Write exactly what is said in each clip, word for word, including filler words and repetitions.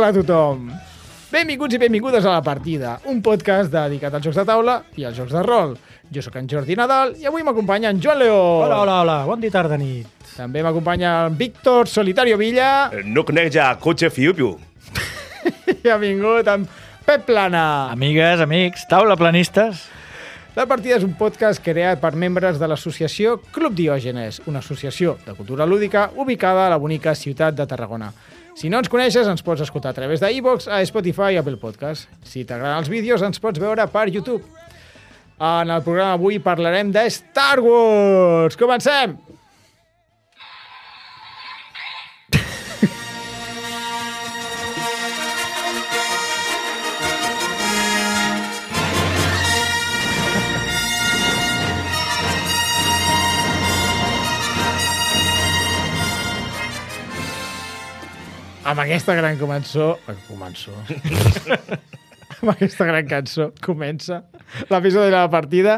Hola a tothom! Benvinguts i benvingudes a La Partida, un podcast dedicat als jocs de taula i als jocs de rol. Jo sóc en Jordi Nadal i avui m'acompanya en Joan León. Hola, hola, hola. Bon dia, tarda, nit. També m'acompanya en Víctor Solitario Villa. No conec ja cotxe fiu-piu. I ha vingut en Pep Plana. Amigues, amics, taula planistes. La Partida és un podcast creat per membres de l'associació Club Diògenes, una associació de cultura lúdica ubicada a la bonica ciutat de Tarragona. Si no ens coneixes, ens pots escoltar a través d'iVoox, a Spotify i Apple Podcast. Si t'agraden els vídeos, ens pots veure per YouTube. En el programa avui parlarem de Star Wars. Comencem! Amb aquesta gran començó... Començó... amb aquesta gran cançó comença l'episodi de La Partida.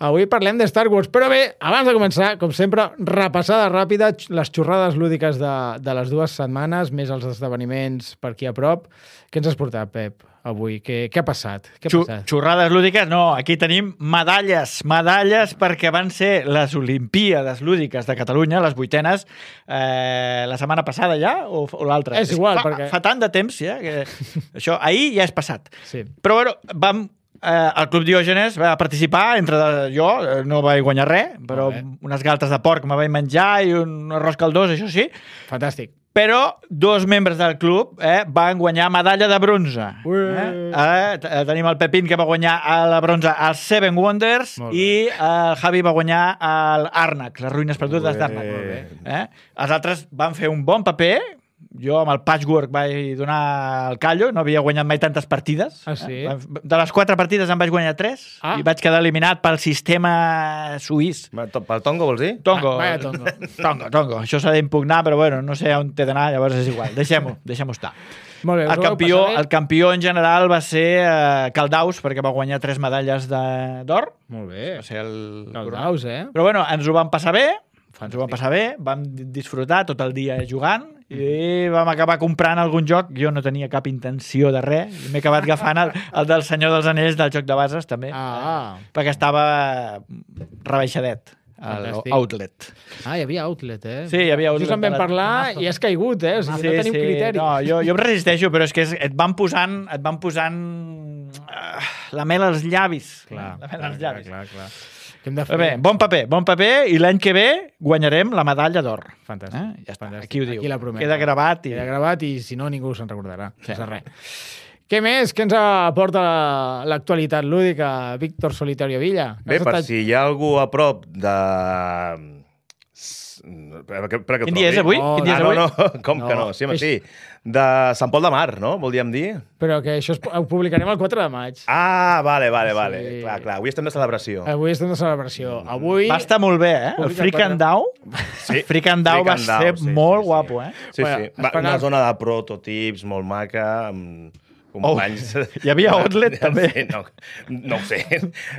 Avui parlem de Star Wars, però bé, abans de començar, com sempre, repassada ràpida les xorrades lúdiques de, de les dues setmanes, més els esdeveniments per aquí a prop. Què ens has portat, Pep, avui? Què, què ha passat? Què ha Xu passat? Xorrades lúdiques? No, aquí tenim medalles. Medalles perquè van ser les Olimpíades lúdiques de Catalunya, les vuitenes, eh, la setmana passada ja, o, o l'altra? És igual, fa, perquè... Fa tant de temps, ja, que això ahir ja és passat. Sí. Però, bueno, vam... Eh, el Club Diògenes va participar, entre de, jo no vaig guanyar res, però unes galtes de porc me vaig menjar i un arròs caldós, això sí. Fantàstic. Però dos membres del club eh, van guanyar medalla de bronze. Eh? Eh, tenim el Pepín, que va guanyar la bronze als Seven Wonders, i el Javi va guanyar l'Àrnac, les ruïnes perdudes d'Àrnac. Eh? Els altres van fer un bon paper. Jo amb el Patchwork vaig donar el callo, no havia guanyat mai tantes partides. Ah, sí? Eh? De les quatre partides en vaig guanyar tres ah. i vaig quedar eliminat pel sistema suís. Pel Tongo, vols dir? Tongo. Ah, vaya Tongo. Tongo, Tongo. Això s'ha d'impugnar, però bueno, no sé on t'he d'anar, llavors és igual. Deixem-ho, deixem-ho estar. Molt bé, el, campió, el campió en general va ser eh, Caldaus, perquè va guanyar tres medalles d'or. Molt bé. Va ser el... Caldaus, eh? Però bueno, ens ho vam passar bé, ens ho vam passar bé, vam disfrutar tot el dia jugant i vam acabar comprant algun joc. Jo no tenia cap intenció de res. M'he acabat agafant el, el del Senyor dels Anells del joc de bases, també. Ah. Eh? Perquè estava rebaixadet. Fantàstic. Outlet. Ah, hi havia outlet, eh? Sí, hi havia outlet. Just en vam parlar i has caigut, eh? O sigui, sí, no tenim sí. criteri. No, jo, jo em resisteixo, però és que és, et van posant, et van posant uh, la mel als llavis. Clar, la mel clar, als llavis. clar, clar, clar. Què hem de fer? Bé, bon paper, bon paper, i l'any que ve guanyarem la medalla d'or. Fantàstic. Eh? Ja està, Fantàstic. aquí ho diu. Aquí la promesa. Queda gravat. I... Queda gravat i si no ningú se'n recordarà. Sí. No res. Què més? Què ens aporta l'actualitat lúdica, Víctor Solitario Villa? Bé, per estat... si hi ha algú a prop de... Per, per Quin dia és avui? Oh, Quin dia ah, és avui? no, no, com no. que no? Sí, home, sí. De Sant Pol de Mar, no? Voldríem dir? Però que això es, ho publicarem el quatre de maig. Ah, vale, vale, vale. Sí. Clar, clar. Avui estem de celebració. Avui estem de celebració. Avui... Va estar molt bé, eh? El Freak and Dow. Sí. Freak and Dow va ser sí, molt sí, sí. guapo, eh? Sí, bueno, sí. Va, esperar... una zona de prototips molt maca, amb companys... Oh, hi havia outlet, també. Sí, no, no ho sé.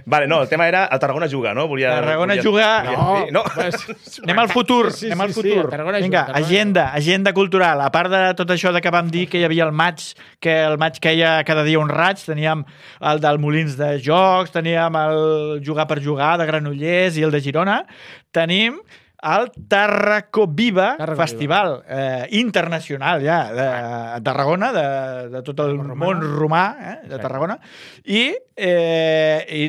Vale, no, el tema era el Tarragona juga, no? Volia, Tarragona volia, juga... Volia, no, no. pues... Anem al futur, sí, sí, anem al sí, futur. sí, Tarragona Vinga, juga, Tarragona agenda, agenda cultural. A part de tot això de que vam dir que hi havia el maig, que el maig queia cada dia un raig, teníem el del Molins de Jocs, teníem el Jugar per Jugar de Granollers i el de Girona, tenim el Tarraco Viva Tarraco Festival eh, internacional ja de, de Tarragona, de, de tot el Romana. món romà eh, de Tarragona, i, eh, i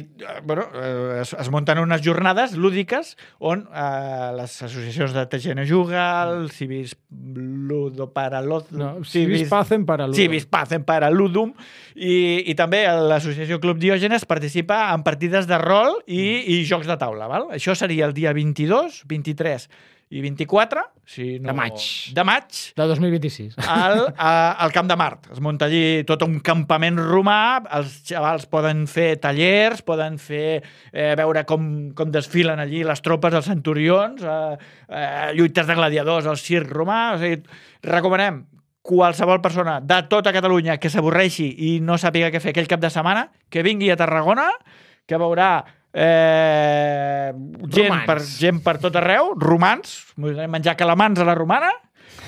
bueno, eh, es, es munten unes jornades lúdiques on eh, les associacions de T G N Juga, el Civis Ludo para Ludum, no, Civis Pacem para Ludum, Civis Pacem para Ludum, i, i també l'associació Club Diògenes participa en partides de rol i, i jocs de taula. Val? Això seria el dia vint-i-dos, vint-i-tres i vint-i-quatre, si no... De maig. De maig. De dos mil vint-i-sis. Al, a, al Camp de Mart. Es munta allí tot un campament romà, els xavals poden fer tallers, poden fer eh, veure com, com desfilen allí les tropes, els centurions, eh, eh, lluites de gladiadors, el circ romà... O sigui, recomanem qualsevol persona de tota Catalunya que s'avorreixi i no sàpiga què fer aquell cap de setmana, que vingui a Tarragona, que veurà eh, gent, Romans. per, gent per tot arreu, romans, menjar calamans a la romana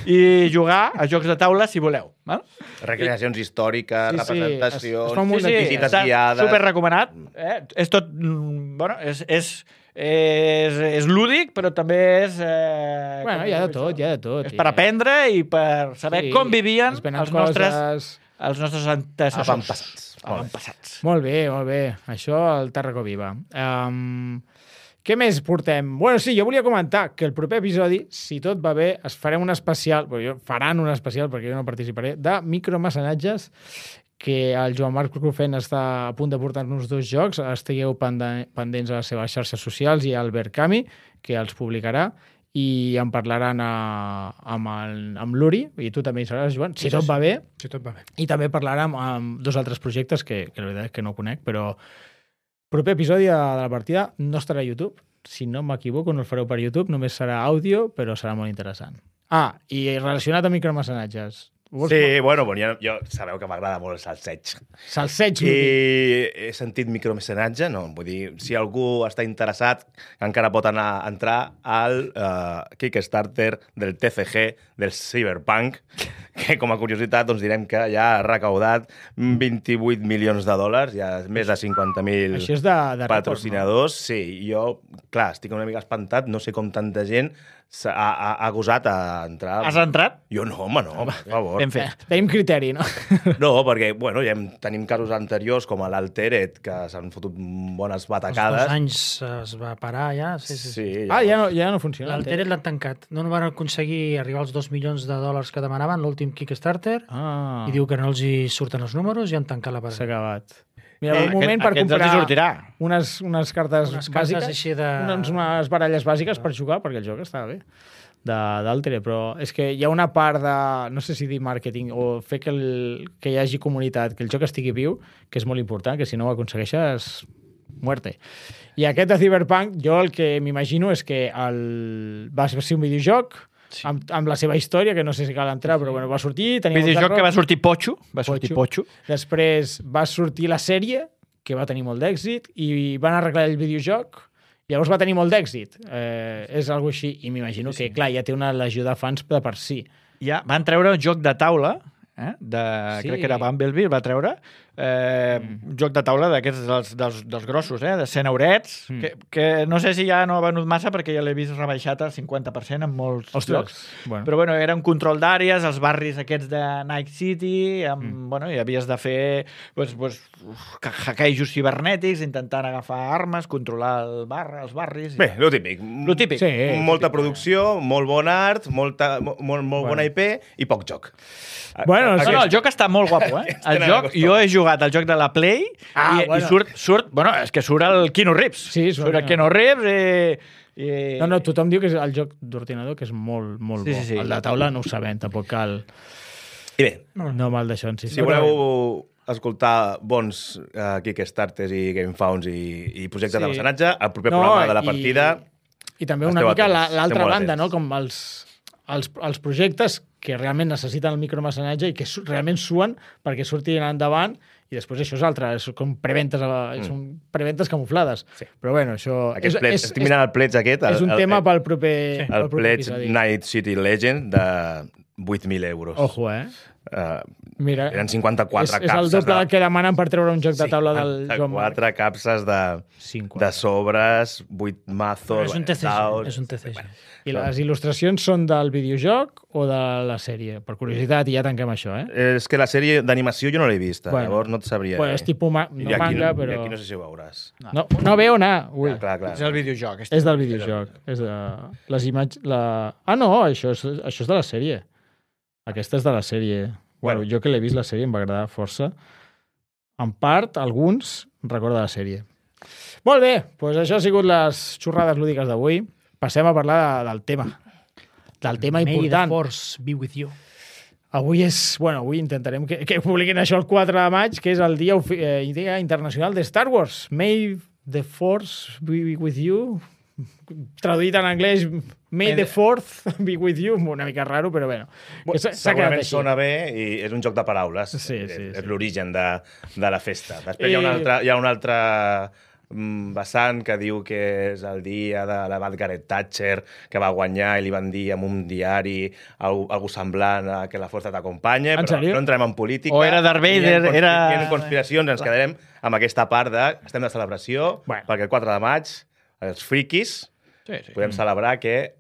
i jugar a jocs de taula si voleu. Val? Recreacions històriques, Sí, sí, representacions, es- es fa un munt Sí, sí, visites està guiades... super recomanat. Eh? És tot... mm, Bueno, és, és, és, és lúdic, però també és... Eh, Bueno, com hi ha de dic, tot, hi ha de tot. És per aprendre i per saber Sí, com vivien es venen els nostres, coses. els nostres antecessors. Avantpassats. Molt bé. Avantpassats. Molt bé, molt bé. Això el Tarraco Viva. Um, què més portem? Bueno, sí, jo volia comentar que el proper episodi, si tot va bé, es farem un especial, bueno, jo, faran un especial, perquè jo no participaré, de micromecenatges, que el Joan Marc Crufen està a punt de portar-nos dos jocs. Estigueu pende- pendents a les seves xarxes socials i al Berkami, que els publicarà, i en parlaran a, amb, el, amb l'Uri, i tu també hi seràs, Joan, si Sí, tot sí. va bé. Si tot va bé. I també parlarà amb, amb dos altres projectes que, que la veritat és que no conec, però proper episodi de, de la partida no estarà a YouTube. Si no m'equivoco, no el fareu per YouTube, només serà àudio, però serà molt interessant. Ah, i relacionat amb micromecenatges. Vols Sí, bueno, bueno jo, jo sabeu que m'agrada molt el salseig. Salseig, I Lúdic. he sentit micromecenatge, no? Vull dir, si algú està interessat, encara pot anar a entrar al uh, Kickstarter del T C G del Cyberpunk, que com a curiositat doncs direm que ja ha recaudat vint-i-vuit milions de dòlars, ja més de cinquanta mil Això és de, de rècord, patrocinadors. Sí, jo, clar, estic una mica espantat, no sé com tanta gent s'ha- ha, ha, ha gosat a entrar. Has entrat? Jo no, home, no, per favor. Ben no? fet. Tenim criteri, no? No, perquè, bueno, ja hem, tenim casos anteriors com a l'Alteret, que s'han fotut bones Els batacades. dos anys es va parar ja. Sí, sí, sí. Sí, Ah, ja no, ja no funciona. L'Alteret l'han tancat. No van aconseguir arribar als dos milions de dòlars que demanaven l'últim Kickstarter Ah, i diu que no els hi surten els números i han tancat la s'ha parada. acabat. Mira, Eh, un moment aquest- per aquest comprar els hi sortirà. unes, unes cartes Unes cartes bàsiques, així de... unes, unes baralles bàsiques per jugar, perquè el joc està bé, d'Altere, però és que hi ha una part de, no sé si dir màrqueting, o fer que, el, que hi hagi comunitat, que el joc estigui viu, que és molt important, que si no ho aconsegueixes, muerte. I aquest de Cyberpunk, jo el que m'imagino és que el... va ser un videojoc, sí. amb, amb la seva història, que no sé si cal entrar, però bueno, va sortir... Tenia Videojoc molta que va raó. sortir Potxo. Va sortir Potxo. Després va sortir la sèrie, que va tenir molt d'èxit, i van arreglar el videojoc, llavors va tenir molt d'èxit. Eh, és algo així, i m'imagino que, clar, ja té una legió de fans de per si. Ja van treure un joc de taula, eh? de, Sí. crec que era Bumblebee, el va treure, eh, mm. un joc de taula d'aquests dels, dels, dels grossos, eh? de cent eurets, Mm. que, que no sé si ja no ha venut massa perquè ja l'he vist rebaixat al cinquanta per cent en molts Ostres, llocs. bueno. Però bueno, era un control d'àrees, els barris aquests de Night City, amb, Mm. bueno, i havies de fer pues, pues, hackejos cibernètics, intentant agafar armes, controlar el bar, els barris... Bé, lo típic. Lo típic. Sí, Molta típic. producció, molt bon art, molta, molt, molt Bueno. bona I P i poc joc. Bueno, No, sí. no, el joc està molt guapo, eh? El Tenen joc, acostumat. jo he jugat al joc de la Play Ah, i, bueno. i surt, surt... Bueno, és que surt el Keanu Reeves. Sí, surt surt el el Keanu Reeves i... i... No, no, tothom diu que és el joc d'ordinador, que és molt, molt Sí, bo. sí, sí. El de taula no ho sabem, tampoc cal... I bé, No mal d'això, sí. si voleu escoltar bons uh, Kickstarters i GameFounds i, i projectes Sí. de mecenatge, el proper No, programa de la i- partida... I també una Esteu mica atents, la- esteu l'altra molt banda, atents. no? Com els, els, els projectes que realment necessiten el micromecenatge i que su realment suen perquè surtin endavant i després això és altre, és com preventes, a- Mm. són preventes camuflades. Sí. Però bueno, això... Aquest és, pledge, és, estic mirant el pledge aquest. El, és un el, tema el, pel proper, el pel proper pledge episodi. Night City Legend de vuit mil euros. Ojo, eh? Uh, Mira, eren cinquanta-quatre és, és el capses. doble del que demanen per treure un joc de taula del Joan Marc. quatre capses de, cinquanta. de sobres, vuit Però mazos, és un T C G. daus... És un T C G. I les il·lustracions són del videojoc o de la sèrie? Per curiositat, i ja tanquem això, eh? És que la sèrie d'animació jo no l'he vista, Bueno. llavors no et sabria Bueno, és dir. tipus ma no I aquí, manga, I però... aquí no sé si ho veuràs. No, no veu anar. Ui. Ah, clar, clar. És el videojoc. És del videojoc. És de... Les imatges... La... Ah, no, això és, això és de la sèrie. Aquesta és de la sèrie. Bueno, Bueno. jo que l'he vist la sèrie em va agradar força. En part, alguns recordo de la sèrie. Molt bé, doncs això ha sigut les xorrades lúdiques d'avui. Passem a parlar de, del tema. Del tema May the important. force be with you. Avui és... Bueno, avui intentarem que, que publiquin això el quatre de maig, que és el dia, ofi- eh, dia internacional de Star Wars. May the Force be with you. Traduït en anglès, May the Fourth be with you. Una mica raro, però bueno. Que s'ha- s'ha quedat Segurament així. sona bé i és un joc de paraules. Sí, sí, és sí. és l'origen de, de la festa. Després hi ha I- una altra, hi ha una altra mm, vessant que diu que és el dia de la Margaret Thatcher, que va guanyar i li van dir en un diari algú, algú semblant a que la força t'acompanya, En però sèrio? no entrem en política. O era Darth Vader, ni en, era... Ni en conspiracions, ens quedarem amb aquesta part de... Estem de celebració, Bueno. perquè el quatre de maig, els friquis, Sí, sí. podem celebrar que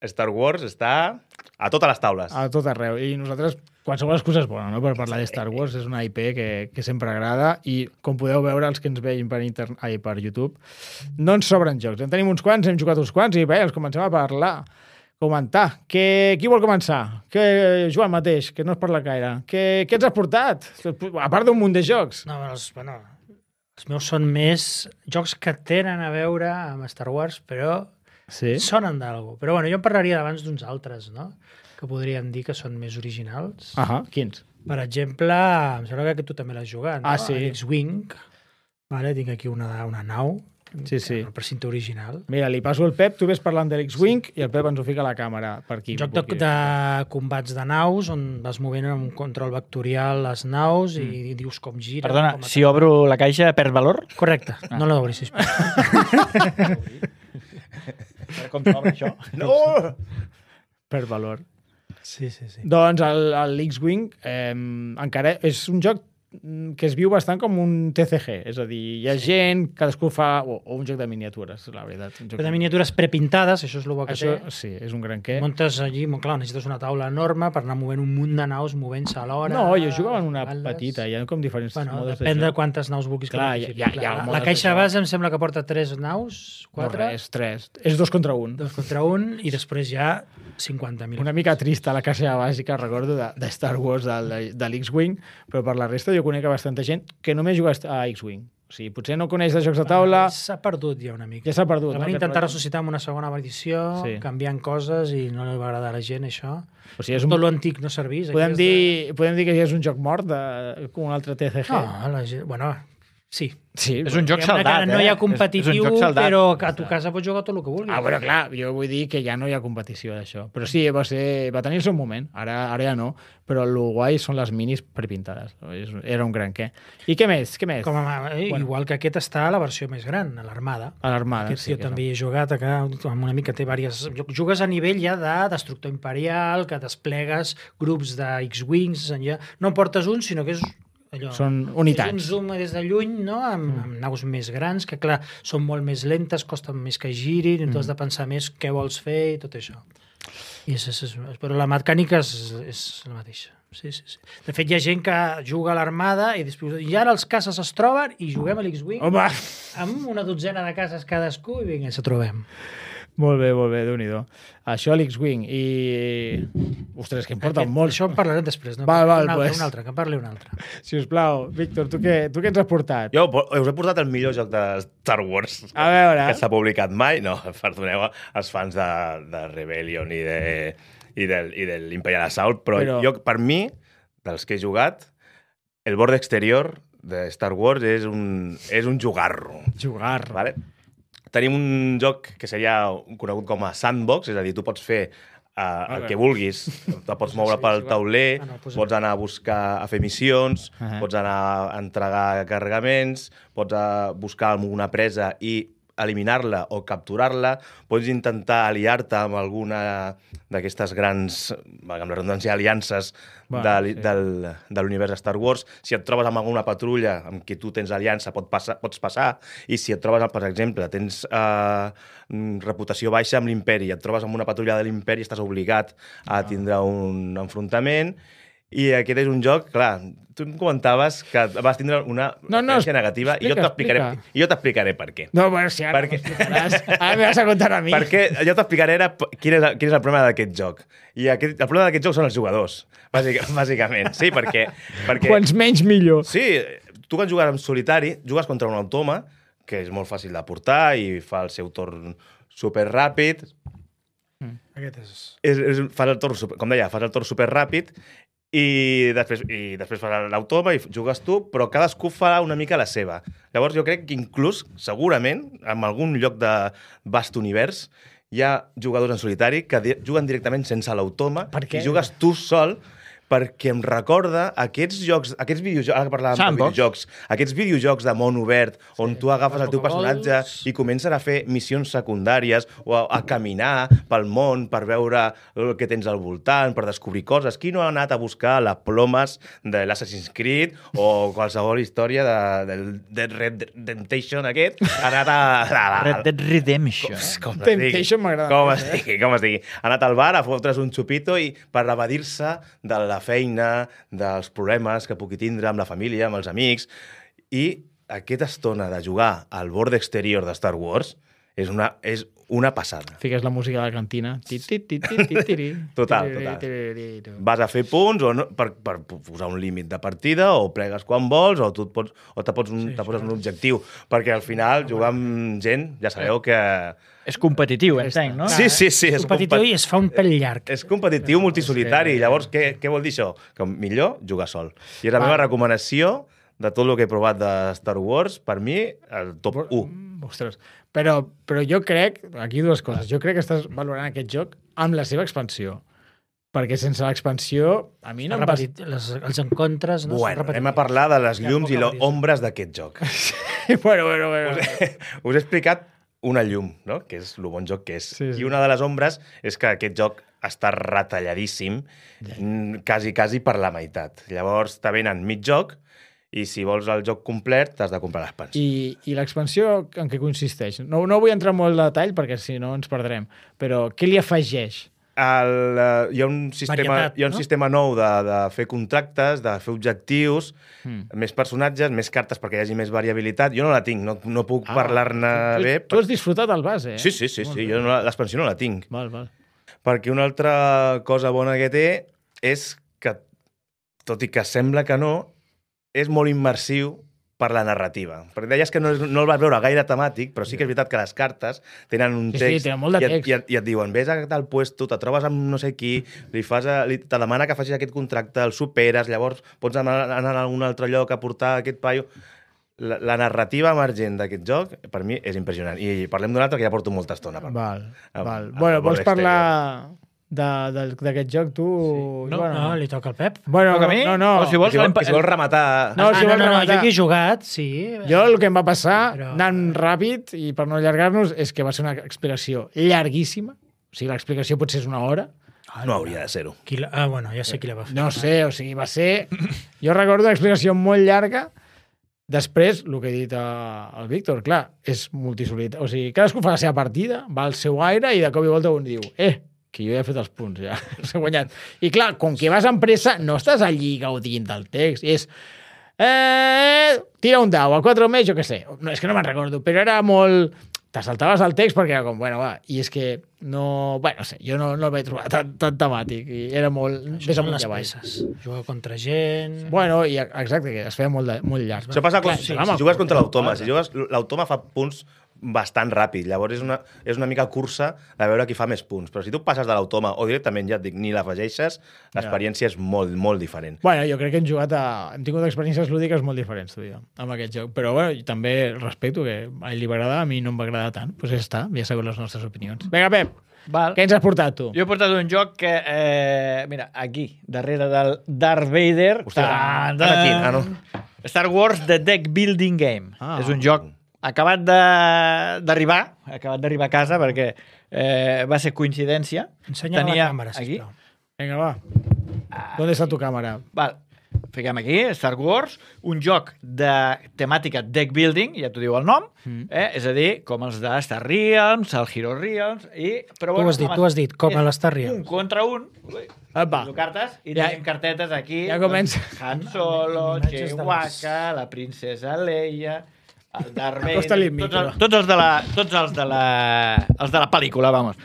Star Wars està a totes les taules. A tot arreu. I nosaltres, qualsevol excusa és bona, no?, per parlar de Star Wars. És una I P que, que sempre agrada i, com podeu veure, els que ens veien per, internet, ai, per YouTube, no ens sobren jocs. En tenim uns quants, hem jugat uns quants i bé, els comencem a parlar, comentar. Que, qui vol començar? Que, Joan mateix, que no es parla gaire. Que, què ens has portat? A part d'un munt de jocs. No, els, bueno, els meus són més jocs que tenen a veure amb Star Wars, però Sí? sonen d'algú. Però bueno, jo en parlaria d'abans d'uns altres, no?, que podríem dir que són més originals. Ahà, quins? Per exemple, em sembla que tu també l'has jugat, no? Ah, sí. X-Wing. Vale, tinc aquí una, una nau. Sí, sí. El precinte original. Mira, li passo el Pep, tu ves parlant de l'X-Wing i el Pep ens ho fica a la càmera per aquí. Joc de, de combats de naus, on vas movent amb un control vectorial les naus i Mm. dius com gira. Perdona, com si obro la caixa perd valor? Correcte, Ah. no l'obris, sisplau. Com t'obre això? No! Per valor. Sí, sí, sí. Doncs el, el X-Wing eh, encara és un joc que es viu bastant com un T C G, és a dir, hi ha gent, cadascú fa... O, o un joc de miniatures, la veritat. Un joc De miniatures prepintades, això és el bo que Això, té. sí, és un gran què. Muntes allí, molt clar, necessites una taula enorme per anar movent un munt de naus, movent-se alhora. No, jo jugava en una baldes. petita, hi ha com diferents Bueno, modes depèn de joc. quantes naus vulguis que Clar, participin. hi ha- hi ha Clar, modes la de caixa joc. base em sembla que porta tres naus, No, quatre, res, tres. És dos contra un. dos contra un, i després hi ha cinquanta mil. Una mica trista la caixa bàsica, recordo, de, de Star Wars, de, de l'X-Wing, però per la resta jo conec a bastanta gent que només juga a X-Wing. O sigui, potser no coneix de jocs de taula, S'ha perdut ja una mica. ja s'ha perdut. La no, van aquest intentar rotllo. ressuscitar amb una segona edició, Sí. canviant coses, i no li va agradar a la gent, això. O sigui, és un... Tot l'antic no servís. aquí Podem has de- dir, podem dir que ja és un joc mort de, com un altre T C G? No, la gent... Bueno, sí. Sí, És un joc Diguem-ne que saldat, ara no hi eh? ha competitiu, És un joc saldat. però que a tu casa pots jugar tot el que vulguis. Ah, bueno, clar, jo vull dir que ja no hi ha competició d'això. Però sí, va, ser, va tenir el seu moment, ara, ara ja no, però el guai són les minis prepintades. És- Era un gran què. I què més? Què més? Com a, eh, Bueno. Igual que aquest està a la versió més gran, a l'Armada. A l'Armada. Aquest sí, jo que també hi he jugat, acá, amb una mica té diverses... Jugues a nivell ja de destructor imperial, que desplegues grups de X-Wings, ja... no en portes un, sinó que és allò... Són És unitats. un zoom des de lluny, no? amb, Mm. amb naus més grans, que clar, són molt més lentes, costen més que girin, i tu Mm. has de pensar més què vols fer i tot això. I és, és, és, però la mecànica és, és la mateixa. Sí, sí, sí. De fet, hi ha gent que juga a l'Armada i després... I ara els caces es troben i juguem a l'X-Wing Home! amb una dotzena de cases cadascú i vinga, ens trobem. Molt bé, molt bé, déu-n'hi-do. Això a l'X-Wing i... Ostres, que em porta Aquest- molt. Això en parlarem després. No? Val, val, un altre, pues. un altre, que en parli un altre. Si us plau, Víctor, tu què, tu què ens has portat? Jo us he portat el millor joc de Star Wars A veure. que s'ha publicat mai. No, perdoneu als fans de, de Rebellion i de, i del, i de l'Imperial Assault, però, Però- però jo, per mi, dels que he jugat, el bord exterior de Star Wars és un, és un jugarro. Jugar. Vale? Tenim un joc que seria conegut com a sandbox, és a dir, tu pots fer uh, el que vulguis, te pots moure pel tauler, Ah, no, posa- pots anar a buscar, a fer missions, Ahà. pots anar a entregar carregaments, pots a buscar alguna presa i eliminar-la o capturar-la, pots intentar aliar-te amb alguna d'aquestes grans, amb la redundància, aliances Bueno, de, sí. sí. del, de l'univers de Star Wars. Si et trobes amb alguna patrulla amb qui tu tens aliança, pot passar, pots passar, i si et trobes, per exemple, tens eh, reputació baixa amb l'imperi, et trobes amb una patrulla de l'imperi, estàs obligat a tindre un enfrontament. I aquest és un joc, clar, tu em comentaves que vas tindre una No, no, experiència negativa i jo explica, t'explicaré explica. i jo t'explicaré per què. No, bueno, si ara Perquè- m'explicaràs. Ara me vas a contar a mi. Perquè jo t'explicaré ara p- quin és, el- quin és el problema d'aquest joc. I aquest, el problema d'aquest joc són els jugadors, bàsic, bàsicament. Sí, perquè... perquè Quants menys, millor. Sí, tu quan jugues en solitari, jugues contra un automa, que és molt fàcil de portar i fa el seu torn super ràpid. Aquest és... És, és, fas el torn, super- com deia, fas el torn super ràpid i després, i després fas l'automa i jugues tu, però cadascú fa una mica la seva. Llavors jo crec que inclús, segurament, en algun lloc de vast univers, hi ha jugadors en solitari que di juguen directament sense l'automa Per què? i jugues tu sol perquè em recorda aquests jocs, aquests videojocs, ara que parlàvem Sandbox. de videojocs, aquests videojocs de món obert, on tu agafes el teu Pokéballs. personatge i comences a fer missions secundàries o a, a caminar pel món per veure el que tens al voltant, per descobrir coses. Qui no ha anat a buscar les plomes de l'Assassin's Creed o qualsevol història de, del Dead Red Redemption aquest? Ha anat a... a, a, a Red Dead Redemption. com es Temptation digui, m'agrada com més, es digui, com es digui. Ha anat al bar a fotre's un xupito i per evadir-se de la feina, dels problemes que pugui tindre amb la família, amb els amics. I aquesta estona de jugar al bord exterior de Star Wars és una, és una passada. Fiques la música de la cantina. Ti, ti, ti, ti, ti, ti, ti. Total, Ti, total. ti, ti, ti, ti. Vas a fer punts o no, per, per posar un límit de partida o plegues quan vols o tu et pots, o te, pots un, Sí, te poses això un objectiu. Perquè al final jugar amb gent, ja sabeu que... És competitiu, entenc, no? Sí, sí, sí. És competitiu compe- i es fa un pèl llarg. És competitiu multisolitari. Llavors, què, què vol dir això? Que millor jugar sol. I és la meva recomanació de tot el que he provat de Star Wars, per mi, el top u. Ostres. Però, però jo crec, aquí dues coses, jo crec que estàs valorant aquest joc amb la seva expansió. Perquè sense l'expansió, a mi no em va... Repetit, les, els encontres... No, Bueno, anem a parlar de les Hi ha llums i poca les ombres d'aquest joc. bueno, bueno, bueno. Us he explicat una llum, no? Que és el bon joc que és. Sí, sí. I una de les ombres és que aquest joc està retalladíssim, mm, quasi, quasi per la meitat. Llavors, te venen mig joc i si vols el joc complet t'has de comprar l'expansió. I, i l'expansió en què consisteix? No, no vull entrar en molt detall perquè si no ens perdrem, però què li afegeix? El, uh, hi ha un sistema, Varietat, hi ha un no? sistema nou de, de fer contractes, de fer objectius, Mm. més personatges, més cartes perquè hi hagi més variabilitat. Jo no la tinc, no, no puc ah, parlar-ne tu, bé. Tu has disfrutat el base, eh? Sí, sí, sí, Molt sí. bé. Jo no, la- l'expansió no la tinc. Val, val. Perquè una altra cosa bona que té és que, tot i que sembla que no, és molt immersiu per la narrativa. Perquè deies que no, és, no el vas veure gaire temàtic, però sí que és veritat que les cartes tenen un Sí, sí, text, tenen molt de i, et, text. i, et, i et diuen, vés a tal puesto, te trobes amb no sé qui, li fas a, li, te demana que facis aquest contracte, el superes, llavors pots anar, anar a algun altre lloc a portar aquest paio. La, la narrativa emergent d'aquest joc, per mi, és impressionant. I parlem d'un altre que ja porto molta estona. Per Val, Ah, val. ah, Bueno, al bord vols parlar de- del- d'aquest joc, tu? No, Joan, no, li toca al Pep. Bueno, Toca a mi? no, no. O si vols, Si, vol, l'empa- si vols rematar... No, ah, si no, vols no, no, rematar. jo aquí he jugat, sí. Jo el que em va passar, Però- anant ràpid, i per no allargar-nos, és que va ser una explicació llarguíssima. O sigui, l'explicació potser és una hora. No hauria de ser-ho. Qui la... Ah, bueno, ja sé qui la va fer. No sé, o sigui, va ser... Jo recordo una explicació molt llarga. Després, el que he dit a- al Víctor, clar, és multisolitari. O sigui, cadascú fa la seva partida, va al seu aire i de cop i volta un diu, eh, que jo ja he fet els punts, ja, s'ha guanyat. I clar, com que vas amb pressa, no estàs allí gaudint del text. És, eh, tira un dau, a quatre o més, jo què sé. No, és que no me'n recordo, però era molt... Te saltaves el text perquè era com, bueno, va, i és que no... Bueno, no sé, jo no, no el vaig trobar tan, tan temàtic, i era molt... Això Ves són amunt les i avall. peces. Jugar contra gent... Bueno, i exacte, que es feia molt, de, molt llarg. Això passa Clar, quan, sí, si, home, si jugues contra l'automa. clar. Si jugues, l'automa fa punts bastant ràpid. Llavors és una, és una mica cursa de veure qui fa més punts. Però si tu passes de l'automa o directament, ja et dic, ni l'afegeixes, l'experiència és molt, molt diferent. Bueno, jo crec que hem jugat a... Hem tingut experiències lúdiques molt diferents, tu i jo, amb aquest joc. Però bueno, jo també respecto que a ell li va agradar, a mi no em va agradar tant. Doncs pues ja està, ja sabeu les nostres opinions. Vinga, Pep, Val. què ens has portat tu? Jo he portat un joc que, eh, mira, aquí, darrere del Darth Vader... Hòstia, tan, ara aquí, tan, ah, no. Star Wars The Deck Building Game. Ah. És un joc acabat de- d'arribar, acabat d'arribar a casa perquè eh, va ser coincidència. Ensenya la càmera, aquí, sisplau. Vinga, va. ¿Dónde está tu càmera? val, fiquem aquí, Star Wars, un joc de temàtica deck building, ja t'ho diu el nom, Mm. eh? És a dir, com els de Star Realms, el Hero Realms, i... Però, Tu ho has dit, home, tu has dit, com a és l'Star Un Realms. contra un. Ui, Apa. Poso cartes i Ja- tenim cartetes aquí. ja comença. doncs, Han Solo, Imatges de Chewbacca, la princesa Leia, el Darth Vader... Acosta-li el tots, micro. els, tots, els de la, tots els de la, els de la pel·lícula, vamos.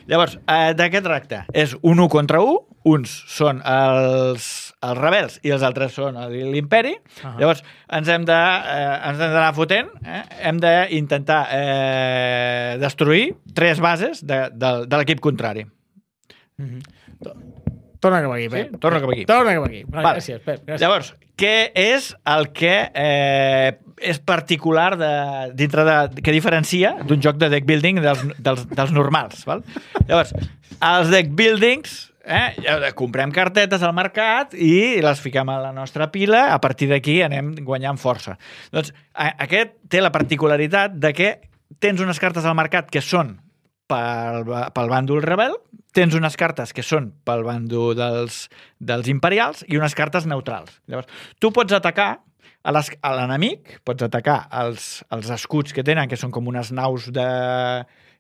Llavors, eh, de què tracta? És un u contra u, uns són els, els rebels i els altres són el- l'imperi. Ah. Llavors, ens hem de, eh, ens hem d'anar fotent, eh? Hem d'intentar eh, destruir tres bases de, de, de l'equip contrari. Torna cap aquí, Sí? Pep. Torna cap aquí. Torna cap aquí. Vale, Vale. Gràcies, Pep. Gràcies. Llavors, què és el que eh, és particular de, dintre de, que diferencia d'un joc de deck building dels, dels, dels normals? Val? Llavors, els deck buildings eh, comprem cartetes al mercat i les fiquem a la nostra pila, a partir d'aquí anem guanyant força. Doncs aquest té la particularitat de que tens unes cartes al mercat que són pel, pel bàndol rebel, tens unes cartes que són pel bàndol dels, dels imperials i unes cartes neutrals. Llavors, tu pots atacar a l'enemic, pots atacar els, els escuts que tenen, que són com unes naus de,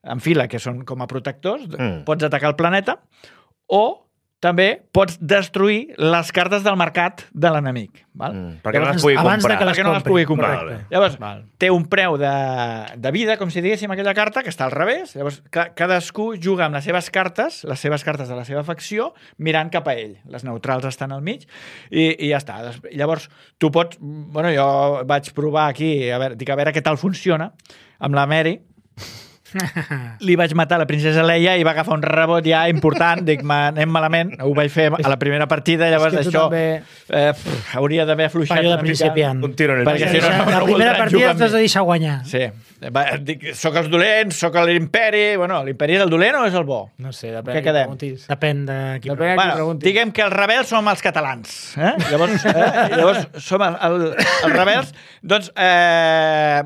en fila, que són com a protectors, mm. pots atacar el planeta, o també pots destruir les cartes del mercat de l'enemic. Mm, perquè no les pugui comprar. Abans de que les perquè no les pugui comprar. Vale. Llavors, Val. té un preu de, de vida, com si diguéssim, aquella carta, que està al revés. Llavors, ca, cadascú juga amb les seves cartes, les seves cartes de la seva facció, mirant cap a ell. Les neutrals estan al mig i, i ja està. Llavors, tu pots... Bueno, jo vaig provar aquí, a veure, dic, a veure què tal funciona, amb la Mary. Li vaig matar la princesa Leia i va agafar un rebot ja important, dic, anem malament, ho vaig fer a la primera partida, llavors això també... eh, pff, hauria d'haver afluixat Fallo de una mica. principiant. Un tiro en el Perquè pit. si no, no, La no primera voldran partida jugar amb t'has de mi. deixar guanyar. Sí. Va, dic, soc els dolents, soc l'imperi... Bueno, l'imperi és el dolent o és el bo? No sé, depèn Què de qui quedem? preguntis. Depèn de qui Depèn de qui Bueno, preguntis. diguem que els rebels som els catalans. Eh? Llavors, eh? Llavors som el, el, els rebels. Doncs, eh,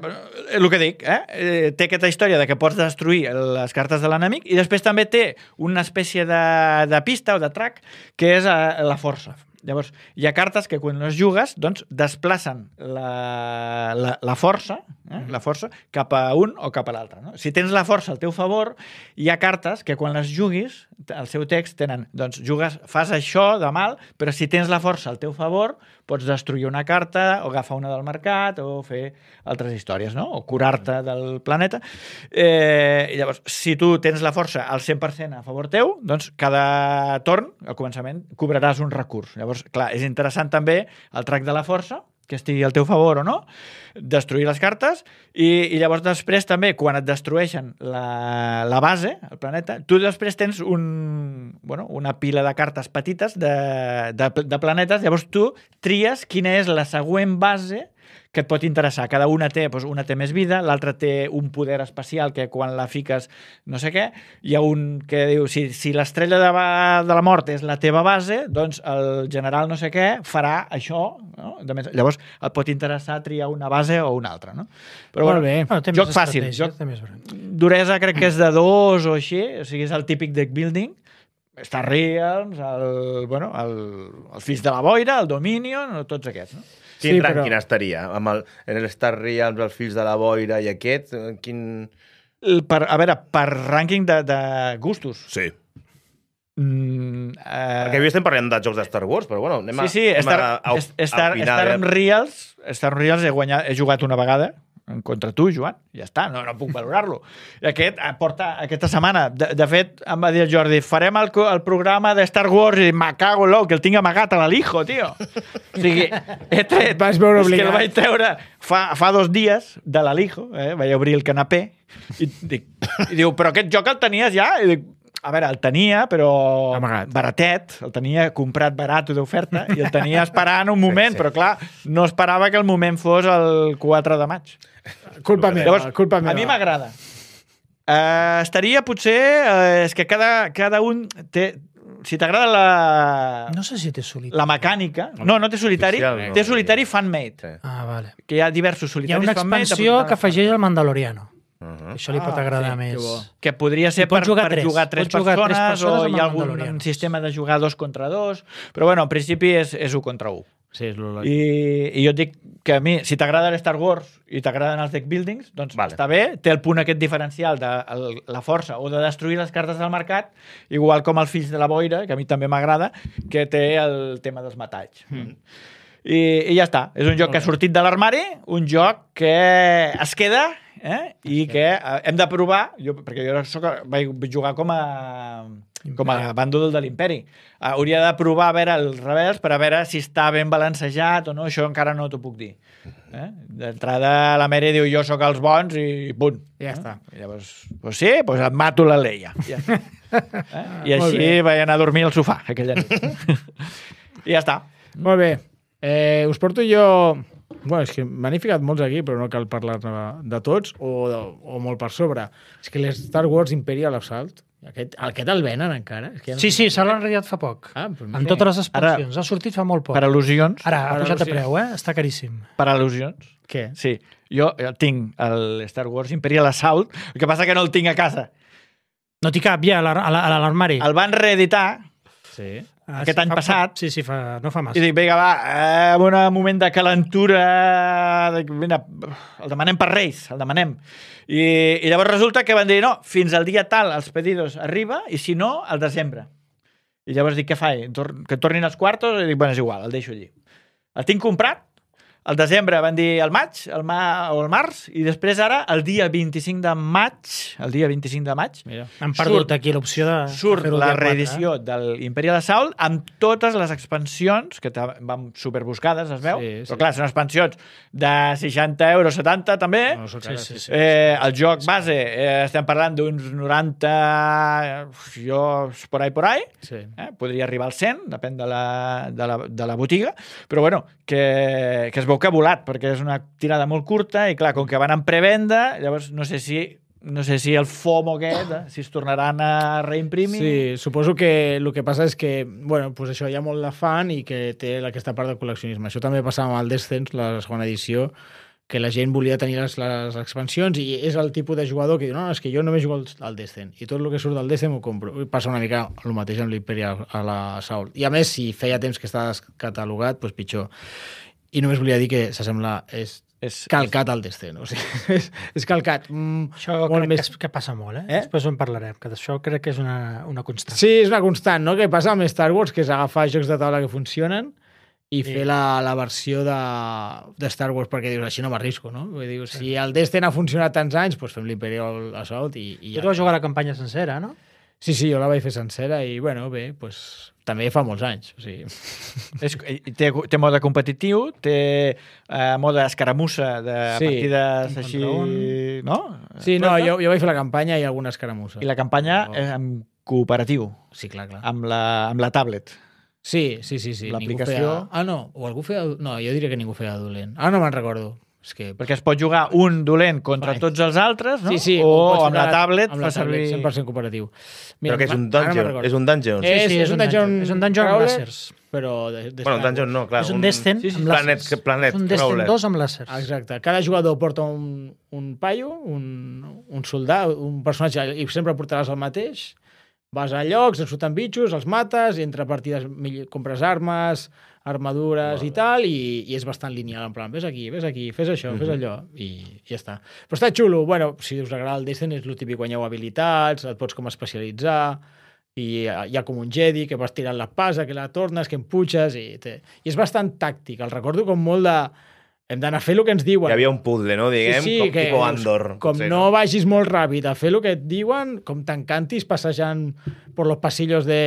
el que dic, eh? Eh, té aquesta història de que pots destruir les cartes de l'enemic i després també té una espècie de, de pista o de track que és eh, la força. Llavors, hi ha cartes que quan les jugues doncs, desplacen la, la, la força eh? la força cap a un o cap a l'altre. No? Si tens la força al teu favor, hi ha cartes que quan les juguis, el seu text tenen, doncs jugues, fas això de mal, però si tens la força al teu favor, pots destruir una carta o agafar una del mercat o fer altres històries, no? O curar-te del planeta. Eh, i llavors, si tu tens la força al cent per cent a favor teu, doncs cada torn, al començament, cobraràs un recurs. Llavors, clar, és interessant també el track de la força, que estigui al teu favor o no, destruir les cartes, i, i llavors després també, quan et destrueixen la, la base, el planeta, tu després tens un, bueno, una pila de cartes petites de, de, de planetes, llavors tu tries quina és la següent base que et pot interessar. Cada una té, doncs, una té més vida, l'altra té un poder especial que quan la fiques no sé què, hi ha un que diu, si, si l'estrella de, de la mort és la teva base, doncs el general no sé què farà això, no? De més, llavors et pot interessar triar una base o una altra, no? Però Molt bueno, bé. Bueno, té joc més fàcil, estratègia, joc té més branc. duresa crec que és de dos o així, o sigui, és el típic deck building, Star Realms, el, bueno, el, el Fills de la Boira, el Dominion, tots aquests, no? Quin Sí, rànquing però- estaria? Amb el, en el Star Realms, els Fills de la Boira i aquest? eh, Quin... El- Per, a veure, per rànquing de, de gustos. Sí. Mm, eh, Perquè avui estem parlant de jocs de Star Wars, però bueno, anem a, sí, sí, anem Star, a, a, a, Star, opinar, Star a veure. Reals, Star Reals he, guanyat, he jugat una vegada en contra tu, Joan, ja està, no, no puc valorar-lo. I aquest eh, porta aquesta setmana, de, de fet, em va dir el Jordi, farem el, co- el programa de Star Wars i me cago en l'ou, que el tinc amagat a l'Alijo, tio. O sigui, he tret... Vas veure és que el obligat. vaig treure fa, fa dos dies de l'Alijo, eh? Vaig obrir el canapé i, dic, i diu, però aquest joc el tenies ja? I dic, a veure, el tenia, però Amagat. baratet, el tenia comprat barat d'oferta i el tenia esperant un moment, Sí, sí. però clar, no esperava que el moment fos el quatre de maig. Culpa meva, Llavors, culpa meva. a mi m'agrada. Uh, estaria potser... Uh, és que cada, cada un té... Si t'agrada la, No sé si té solitari. la mecànica... No, no té solitari. Oficial, no. Té solitari fan-made. Sí. Ah, vale. Que hi ha diversos Hi ha solitaris una fan-made. expansió apuntant que a- afegeix el Mandaloriano. Uh -huh. Això li pot Ah, agradar sí, més. que bo. Que podria ser I pots per, jugar per tres. jugar tres Pots jugar tres persones, persones o amb hi ha el algun Mandalorian. sistema de jugar dos contra dos, però bueno, en principi és, és un contra un. Sí, és lo I, I jo et dic que a mi, si t'agrada l'Star Wars i t'agraden els deck buildings, doncs Vale. està bé, té el punt aquest diferencial de el, la força o de destruir les cartes del mercat, igual com el Fills de la Boira, que a mi també m'agrada, que té el tema dels metalls. Mm. I, I ja està. És un joc que ha sortit de l'armari, un joc que es queda eh? i que eh, hem de provar, jo, perquè jo soc, vaig jugar com a, com a bàndol de l'Imperi. Uh, hauria de provar a veure els rebels per a veure si està ben balancejat o no, això encara no t'ho puc dir. Eh? D'entrada la Mary diu jo sóc els bons i punt. Ja eh? està. I llavors, doncs sí, doncs et mato la Leia. Ja. Eh? I Molt així bé. vaig anar a dormir al sofà aquella nit. I ja està. Molt bé. Eh, us porto jo... Bueno, és que m'han ficat molts aquí, però no cal parlar de tots, o, de, o molt per sobre. És que les Star Wars Imperial Assault Aquest, aquest el venen encara? És que ja no Sí, sé- sí, se l'han enrediat fa poc. Ah, però En totes les Ara- expansions. Ha sortit fa molt poc. Per al·lusions. Ara ha per pujat de al·lusions. preu, eh? Està caríssim. Per al·lusions. Què? Sí. Jo eh, tinc el Star Wars Imperial Assault, el que passa que no el tinc a casa. No t'hi cap ja a l'ar- a la- a l'armari. El van reeditar Sí. Ah, aquest sí, any fa- passat. Sí, sí, fa, no fa i massa. dic, vinga, va, eh, en un moment de calentura, de, vinga, el demanem per Reis, el demanem. I, I llavors resulta que van dir, no, fins al dia tal els pedidos arriba i si no, al desembre. I llavors dic, què faig? Tor que tornin els quartos? I dic, bueno, és igual, el deixo allí. El tinc comprat, al desembre van dir el maig el ma o el març, i després ara, el dia vint-i-cinc de maig, el dia vint-i-cinc de maig, Mira. Han perdut surt- aquí l'opció de surt fer-ho el la dia quatre, reedició eh? de l'Imperial Assault amb totes les expansions, que ta- van superbuscades, es veu, Sí, sí. però clar, són expansions de seixanta euros, setanta també. No, sóc Sí, cara, sí, sí, sí. sí. Eh, el joc base, eh, estem parlant d'uns noranta, jo, por ahí, por ahí, Sí. eh? Podria arribar al cent, depèn de la, de la, de la botiga, però bueno, que, que es veu que ha volat, perquè és una tirada molt curta i clar, com que van en prevenda, llavors no sé si no sé si el FOMO aquest, eh, si es tornaran a reimprimir. Sí, suposo que el que passa és que, bueno, pues això hi ha molt de fan i que té aquesta part del col·leccionisme. Això també passava amb el Descent, la segona edició, que la gent volia tenir les, les expansions i és el tipus de jugador que diu, no, és que jo només jugo al- al Descent i tot el que surt del Descent m'ho compro. I passa una mica el mateix amb l'Imperial a la Saul. I a més, si feia temps que estava descatalogat, doncs pitjor. I només volia dir que s'assembla... És És, calcat al Descent, o sigui, és, és calcat. Mm, Això molt crec més- que, és, que passa molt, eh? Eh? Després ho en parlarem, que d'això crec que és una, una constant. Sí, és una constant, no?, que passa amb Star Wars, que és agafar jocs de taula que funcionen i Sí. fer la, la versió de, de Star Wars, perquè dius, així no m'arrisco, no? Vull dir, si el Destin ha funcionat tants anys, doncs fem l'Imperial Assault i, i Tu vas jugar a la campanya sencera, no? Sí, sí, jo la vaig fer sencera i, bueno, bé, doncs, també fa molts anys. O sigui, és, té, té mode competitiu, té eh, mode escaramussa de Sí, partides un així, contra un. no? sí, no, Correcte? jo, jo vaig fer la campanya i alguna escaramussa. I la campanya Oh. és en cooperatiu, Sí, clar, clar. amb la, amb la tablet. Sí, sí, sí. sí. L'aplicació- Ningú Feia... Ah, no, o algú feia... No, jo diria que ningú feia dolent. Ah, no me'n recordo. És que... Perquè es pot jugar un dolent contra Vai. tots els altres, no? Sí, sí, o ho pots amb fer la tablet amb fa la tablet, servir... cent per cent cooperatiu. Però que és un ara me'n dungeon. recordo. És un dungeon. Eh, Sí, sí, és un dungeon És un dungeon amb crawler, làsers. Però de, de Bueno, Star dungeon Wars. no, clar. És un Descent sí, sí, amb planet, làsers. que planet És un Descent crawler. dos amb làsers. Exacte. Cada jugador porta un, un paio, un, un soldat, un personatge, i sempre portaràs el mateix. Vas a llocs, et surten bitxos, els mates, i entre partides mill- compres armes, armadures i tal, i, i és bastant lineal, en plan, ves aquí, ves aquí, fes això, fes allò, i, i ja està. Però està xulo, bueno, si us agrada el Destiny, és el típic, guanyeu habilitats, et pots com especialitzar, i hi ha, hi ha com un Jedi que vas tirant l'espasa, que la tornes, que empuixes, i, té... i és bastant tàctic. El recordo com molt de... Hem d'anar a fer el que ens diuen. Hi havia un puzzle, no? Diguem, Sí, sí, com que tipus dius, Andor. Com Sí, no vagis molt ràpid a fer el que et diuen, com t'encantis passejant per los pasillos de,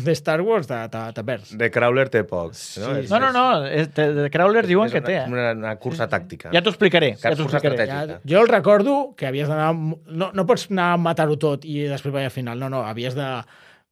de Star Wars, te, te, te perds. De Crawler té pocs. No, Sí, És- No, no, no, és, de, de Crawler diuen és que una, té, eh? Una, una cursa tàctica. Ja t'ho explicaré. Ja t'ho Cursa explicaré. estratègica. Ja, jo el recordo que havies d'anar... No, no pots anar a matar-ho tot i després vaig al final. No, no, havies de,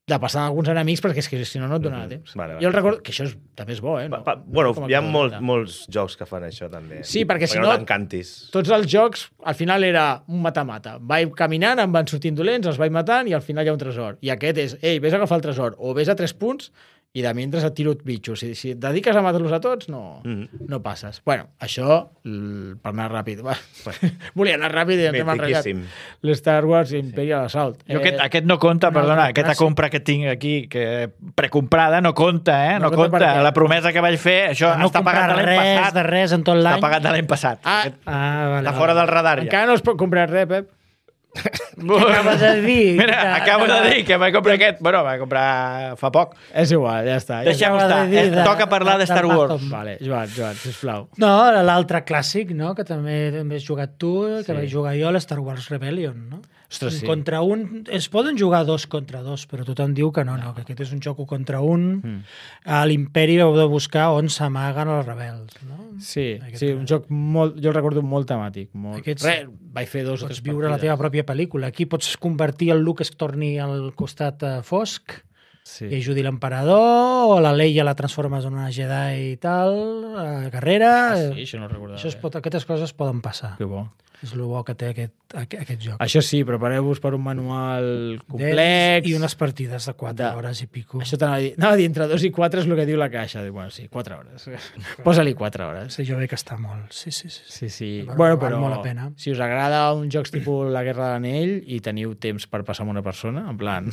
de passar alguns enemics perquè és que si no no et donava Mhm. temps. Vale, vale. Jo el recordo... Que això és, també és bo, eh? Pa, No? pa, bueno, Com a hi ha cosa, molt, ja. molts jocs que fan això, també. Sí, perquè si no no- t'encantis. Tots els jocs, al final era un mata-mata. Vaig caminant, em van sortint dolents, els vaig matant i al final hi ha un tresor. I aquest és, ei, vés a agafar el tresor, o vés a tres punts i de mentre et tiro bitxos. Si, si et dediques a matar-los a tots, no, Mhm. no passes. Bueno, això, l- per anar ràpid. Va. Volia anar ràpid i ens hem enrotllat. Mitiquíssim. L'Star Wars Imperial Assault. Jo aquest, aquest no compta, una perdona, altra aquesta clàssic. compra que tinc aquí, que precomprada, no compta, eh? No, No compta compta. per què? La promesa que vaig fer, això No està pagat comprar de l'any res passat. de res en tot Està l'any. pagat de l'any passat. Ah, Aquest Ah, vale, està fora del radar ja. encara no es pot comprar res, Pep. Acabes de dir. Mira, acabo de dir que vaig comprar aquest. Bueno, vaig comprar fa poc. És igual, ja està. Ja Deixem acaba estar. de dir Eh, de- Toca parlar de de Star Wars. Amazon. Vale, Joan, Joan, sisplau. No, l'altre clàssic, no?, que també, també has jugat tu, que Sí. vaig jugar jo, l'Star Wars Rebellion, no? Ostres, sí. Contra un... Es poden jugar dos contra dos, però tothom diu que no, no, que aquest és un joc un contra un. Mm. A l'Imperi heu de buscar on s'amaguen els rebels, no? Sí, Aquest- sí, un joc molt... Jo el recordo molt temàtic. Molt... Aquests- Res, vaig fer dos o Pots tres viure la partides. teva pròpia pel·lícula. Aquí pots convertir el Luke que es torni al costat eh, fosc, Sí. I ajudi l'emperador, o la Leia la transformes en una Jedi i tal, a carrera... Ah, sí, això no ho recordava. Això es pot, aquestes coses poden passar. Que bo. És el bo que té aquest, aquest, aquest joc. Això sí, prepareu-vos per un manual complex. I unes partides de quatre De- hores i pico. Això t'anava a dir. Anava a dir, entre dos i quatre és el que diu la caixa. Dic, bueno, sí, quatre hores. Posa-li quatre hores. Sí, jo veig que està molt. Sí, sí, sí. Sí, sí. Però Bueno, val però molt la pena. si us agrada un jocs tipus La Guerra de l'Anell i teniu temps per passar amb una persona, en plan,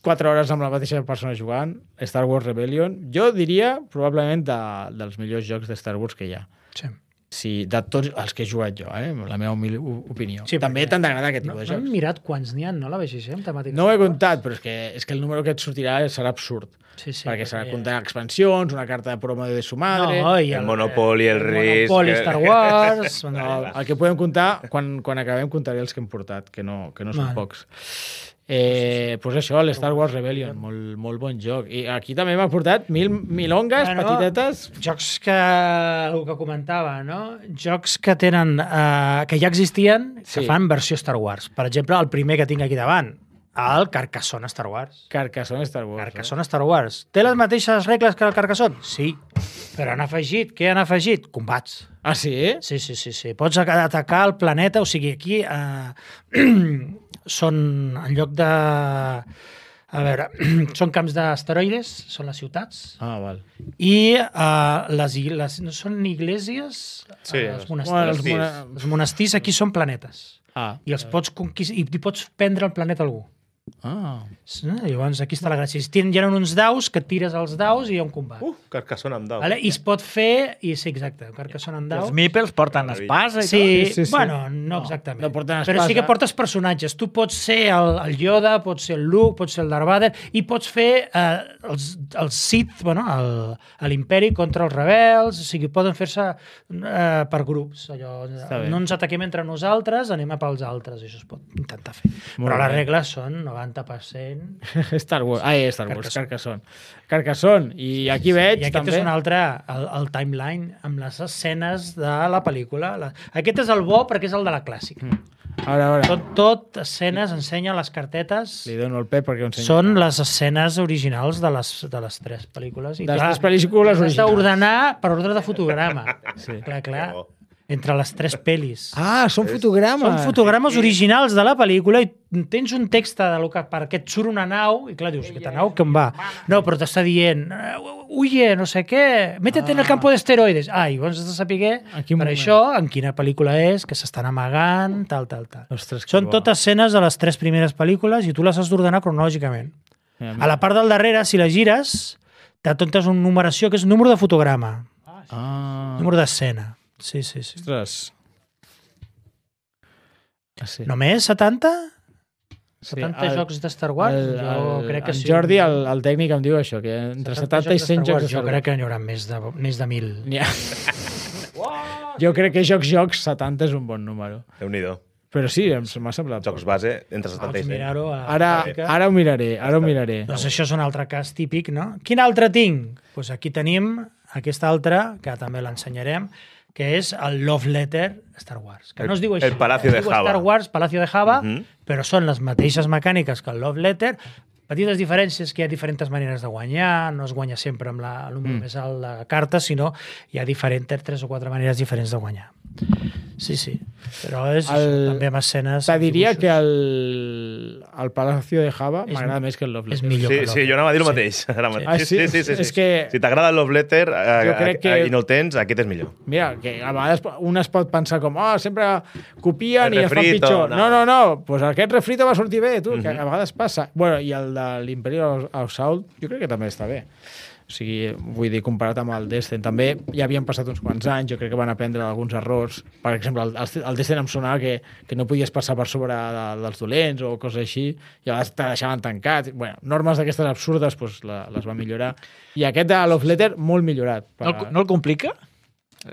quatre hores amb la mateixa persona jugant, Star Wars Rebellion, jo diria probablement de, dels millors jocs de Star Wars que hi ha. Sí. Sí, de tots els que he jugat jo, eh? La meva humil opinió. Sí, També perquè- t'han d'agradar aquest No, tipus no de hem jocs. mirat quants n'hi ha, no? La B G G, amb temàtiques. No ho he comptat, però és que, és que el número que et sortirà serà absurd. Sí, sí. perquè s'ha de comptar expansions, una carta de promo de su madre... No, i El Monopoly, el Risk, Monopoly, que- Star Wars... No, el que podem comptar, quan, quan acabem comptaré els que hem portat, que no, que no són Vale. pocs. Eh, pues això, l'Star Wars Rebellion, molt, molt bon joc. I aquí també m'ha portat mil milongues, Bueno, petitetes... Jocs que... el que comentava, no? Jocs que tenen... Eh, que ja existien, que Sí. fan versió Star Wars. Per exemple, el primer que tinc aquí davant, el Carcassonne Star Wars. Carcassonne Star Wars. Carcassonne Star Wars. Té les mateixes regles que el Carcassonne? Sí. Però han afegit... Què han afegit? Combats. Eh? Ah, sí? Sí, sí, sí, sí. Pots atacar el planeta, o sigui, aquí eh, són, en lloc de... A veure, són camps d'asteroides, són les ciutats, Ah, val. i uh, les, ig- les, no són iglesias? Sí, Eh, els els- monestirs. Bueno, els monestirs. mona- Els monestirs aquí són planetes. Ah, I els pots conquistar, i hi pots prendre el planeta a algú. ah. Sí, llavors aquí està la gràcia. Si tenen, hi ha uns daus que tires els daus i hi ha un combat. Uh, Carcassonne amb dau. Vale? I es pot fer... I sí, exacte, un Carcassonne amb Els daus. Meeples porten Meravella. espasa i Sí, Sí, sí, sí. bueno, no exactament. no porten Però sí espasa. que portes personatges. Tu pots ser el, el Yoda, pots ser el Luke, pots ser el Darth Vader, i pots fer eh, els, els Sith, bueno, l'imperi contra els rebels, o sigui, poden fer-se eh, per grups. Allò, Està bé. no ens ataquem entre nosaltres, anem a pels altres, això es pot intentar fer. Molt Però les bé. regles són novanta per cent... Star Wars. Ah, Star Wars, Carcassonne. Carcassonne. Carcassonne. I aquí veig I aquest també... és un altre, el, el timeline, amb les escenes de la pel·lícula. La... Aquest és el bo perquè és el de la clàssica. Mm. A veure, a veure. Tot, tot escenes, ensenya les cartetes. Li dono el pep perquè ho ensenyi. Són les escenes originals de les, de les tres pel·lícules. De les tres pel·lícules has originals. d'ordenar per ordre de fotograma. Sí. Clar, clar. Que bo. Entre les tres pel·lis. Ah, són fotogrames. Són fotogrames originals de la pel·lícula i tens un text de lo que, per què et surt una nau i clar, dius, aquesta nau que em va? No, però t'està dient, huye, no sé què, métete en el campo d'esteroides. Ah, i llavors has de saber En quin per moment? això, en quina pel·lícula és, que s'estan amagant, tal, tal, tal. Ostres, que Són bo. totes escenes de les tres primeres pel·lícules i tu les has d'ordenar cronològicament. Mira, A la part del darrere, si la gires, t'atontes una numeració que és número de fotograma, Ah, número d'escena. Sí, sí, sí. ostres. Ah, sí. Només setanta? Sí, setanta el- jocs de Star Wars? El, jo el, crec que el sí. Jordi, el, el tècnic, em diu això, que entre setanta i cent jocs de Jo Star crec Wars. que n'hi haurà més de, més de mil. N'hi ha... Jo crec que jocs, jocs, setanta és un bon número. Déu-n'hi-do. Però sí, em m'ha semblat. Jocs base entre setanta Pots i cent. mirar-ho a la Ara, gràfica. ara ho miraré, ara ho miraré. Doncs això és un altre cas típic, no? Quin altre tinc? Doncs aquí tenim aquest altre, que també l'ensenyarem, que és el Love Letter Star Wars. Que El- no es diu així. el Palacio es de diu Java. Star Wars, Palacio de Java, Mhm. però són les mateixes mecàniques que el Love Letter. Petites diferències, que hi ha diferents maneres de guanyar, no es guanya sempre amb la, el número Mm. més alt de la carta, sinó hi ha diferents, tres o quatre maneres diferents de guanyar. Sí, sí. Però és El- el... també amb escenes... Te diria dibuixos. que el, el Palacio de Java És- m'agrada més que el Love és Letter. millor Sí, que sí, jo anava a dir el Sí. mateix. Ara mateix. Ah, sí? sí, sí, sí, sí. És que- Si t'agrada el Love Letter eh, Jo crec que- eh, i no el tens, aquest és millor. Mira, que a vegades un es pot pensar com, oh, sempre copien El i es fan refrito, pitjor. no. No, no, no, pues aquest refrito va sortir bé, tu, que Mhm. a vegades passa. Bueno, i el de l'Imperial Assault jo crec que també està bé. O sigui, vull dir, comparat amb el Destin, també ja havien passat uns quants anys, jo crec que van aprendre alguns errors. Per exemple, el, el Destin em sonava que, que no podies passar per sobre de, dels dolents o coses així, i a vegades te deixaven tancat. Bueno, normes d'aquestes absurdes pues, la, les van millorar. I aquest de Love Letter, molt millorat. No el, no el complica?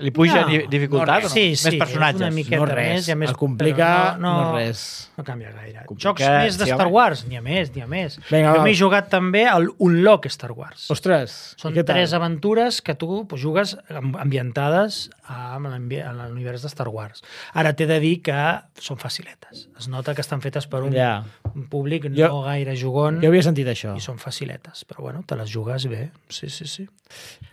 Li puja No, no, dificultat no, o no? sí, sí, Més personatges. és una miqueta No res. més, hi ha més, El complica, però no, no res. No canvia gaire. Complica, Jocs més de sí, Star home. Wars? N'hi ha més, n'hi ha més. Vinga, jo va. m'he jugat també al Unlock Star Wars. Ostres, Són i què tal? tres aventures que tu pues, jugues amb- ambientades amb l'ambi- en l'univers de Star Wars. Ara t'he de dir que són faciletes. Es nota que estan fetes per un, Ja. un públic Jo- no gaire jugon Jo havia sentit això. i són faciletes. Però bueno, te les jugues bé. Sí, sí, sí.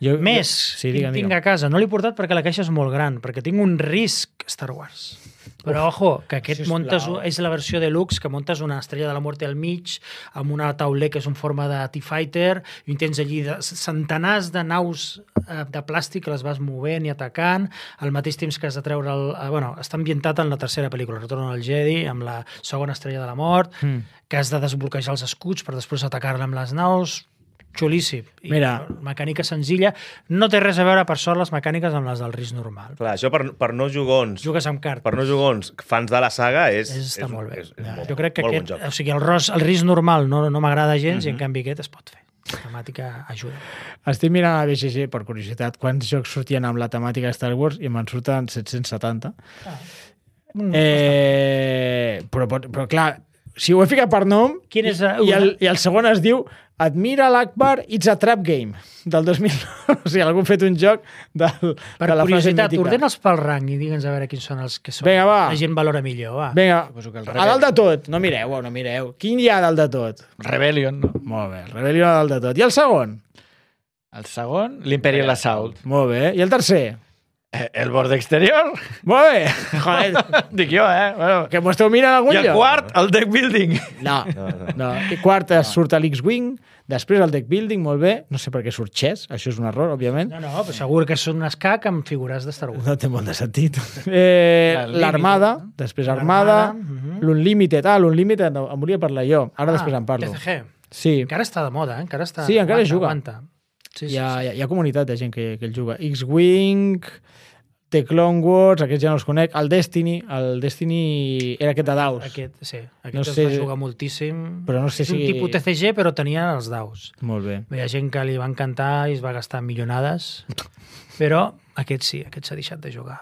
Jo, Més, Jo... Sí, tinc, digue'm, tinc digue'm. a casa. No l'he portat perquè la caixa és molt gran, perquè tinc un Risk Star Wars. Però, ojo, que aquest sisplau. montes, és la versió deluxe, que montes una estrella de la muerte al mig, amb una tauler que és en forma de T-Fighter, i tens allí de, centenars de naus eh, de plàstic que les vas movent i atacant, al mateix temps que has de treure... El, eh, bueno, està ambientat en la tercera pel·lícula, Retorn del Jedi, amb la segona estrella de la mort, Mm. que has de desbloquejar els escuts per després atacar-la amb les naus. Xulíssim. I Mira. mecànica senzilla. No té res a veure, per sort, les mecàniques amb les del risc normal. Clar, això per, per no jugons, Jugues amb cartes. per no jugons, fans de la saga, és, És, està és, molt bé. És, és Ja. molt, Jo crec que molt aquest, bon joc. o sigui, el, ros, el risc normal no, no m'agrada gens, Mhm. i en canvi aquest es pot fer. La temàtica ajuda. Estic mirant a B G G, per curiositat, quants jocs sortien amb la temàtica de Star Wars i me'n surten set-cents setanta. Mm, Eh, però, però, però, clar, si ho he ficat per nom, Quin és, i, uh, i, el, i el segon es diu Admira l'Akbar, It's a Trap Game, del dos mil nou. O sigui, algú ha fet un joc del, Per de la frase curiositat, mítica. ordena'ls pel rang i digue'ns a veure quins són els que són. Vinga, va. La gent valora millor, va. Vinga, Suposo que el a dalt de tot. No mireu, no mireu. Quin hi ha a dalt de tot? Rebellion, no? Molt bé, Rebellion a dalt de tot. I el segon? El segon, l'Imperial Assault. Molt bé. I el tercer? Eh, El borde exterior? Molt bé. Joder, Dic jo, eh? Bueno. que m'ho esteu mirant a algun I el lloc? quart, el deck building. No, no. I quart es surt a l'X-Wing, després el deck building, molt bé. No sé per què surt chess, això és un error, òbviament. No, no, però segur que són un escac amb figures de Star Wars. No té molt de sentit. Eh, L'Unlimited, L'Armada, no? després Armada, L'Armada, mhm. l'Unlimited. Ah, l'Unlimited, no, em volia parlar jo. Ara després en parlo. T C G. Sí, Encara està de moda, eh? Encara està... Sí, encara aguanta, juga. Aguanta. Sí, sí, hi ha, sí. hi ha, hi ha comunitat de gent que, que el juga. X-Wing, The Clone Wars, aquests ja no els conec. El Destiny, el Destiny era aquest de daus. Aquest, sí, aquest No no es sé- va jugar moltíssim. però no sé és un si- tipus T C G, però tenia els daus. Molt bé. Hi ha gent que li va encantar i es va gastar milionades, però aquest sí, aquest s'ha deixat de jugar.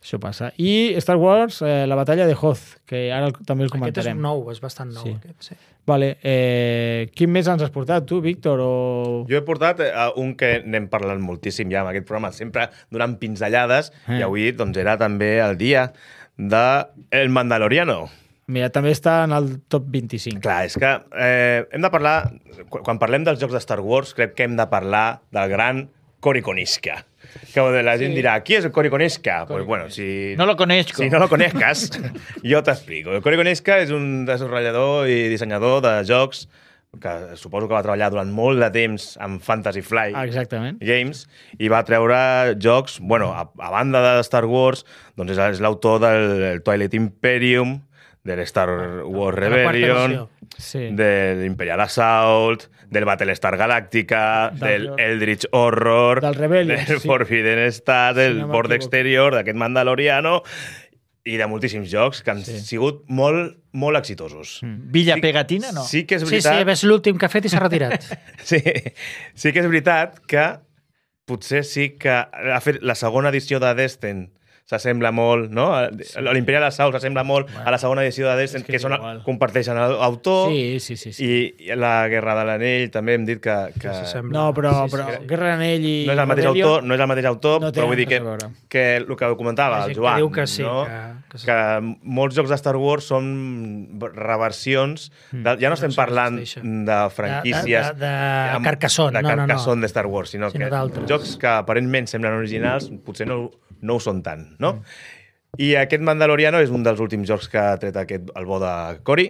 Això passa. I Star Wars, eh, la batalla de Hoth, que ara el, també el Aquest és comentarem. nou, és bastant nou. Sí. Aquest, sí. Vale, eh, quin més ens has portat, tu, Víctor? O... Jo he portat eh, un que n'hem parlat moltíssim ja en aquest programa, sempre donant pinzellades, Eh. i avui doncs, era també el dia de El Mandaloriano. Mira, també està en el top vint-i-cinc. Clar, és que eh, hem de parlar... Quan quan parlem dels jocs de Star Wars, crec que hem de parlar del gran Cory Koniska. Que la gent dirà, qui és el Cory Koniska? Pues bueno, si... No lo conozco. Si no lo conozcas, jo t'explico. El Cory Koniska és un desenvolupador i dissenyador de jocs que suposo que va treballar durant molt de temps amb Fantasy Flight Ah, exactament. Games i va treure jocs, bueno, a, a banda de Star Wars, doncs és, és l'autor del Twilight Imperium, del Star Wars De la quarta Rebellion, versió. Sí. del Imperial Assault, del Battlestar Galactica, Del- del Eldritch Horror, Del Rebellion, del sí. Forbidden Star, del Si no Bord m'equivoco. Exterior, d'aquest Mandaloriano, i de moltíssims jocs que han Sí. sigut molt, molt exitosos. Villa Pegatina, no? Sí que és Sí, sí, veritat... és l'últim que ha fet i s'ha retirat. Sí, sí que és veritat que potser sí que ha fet la segona edició de Destin s'assembla molt, no? L'Imperial Assault s'assembla molt a la segona edició de Destin, és que que, és són, igual. comparteixen l'autor, Sí, sí, sí. sí. i la Guerra de l'Anell també hem dit que... que s'assembla. No, però, Sí, sí, però sí. Guerra d'Anell i... no és el mateix Rebellion, autor, no és el mateix autor, no té però vull dir res que, a veure. que el que comentava Hi ha el gent que Joan, diu que sí, no? que- que sí. que molts jocs de Star Wars són reversions, de, ja no estem Versions parlant PlayStation. de franquícies De- de- de amb- Carcassonne, de no, no, no. Carcassonne de Star Wars, sinó, Sinó que d'altres. jocs que aparentment semblen originals potser no, no ho són tant, no? I aquest Mandaloriano és un dels últims jocs que ha tret aquest, el bo de Cory,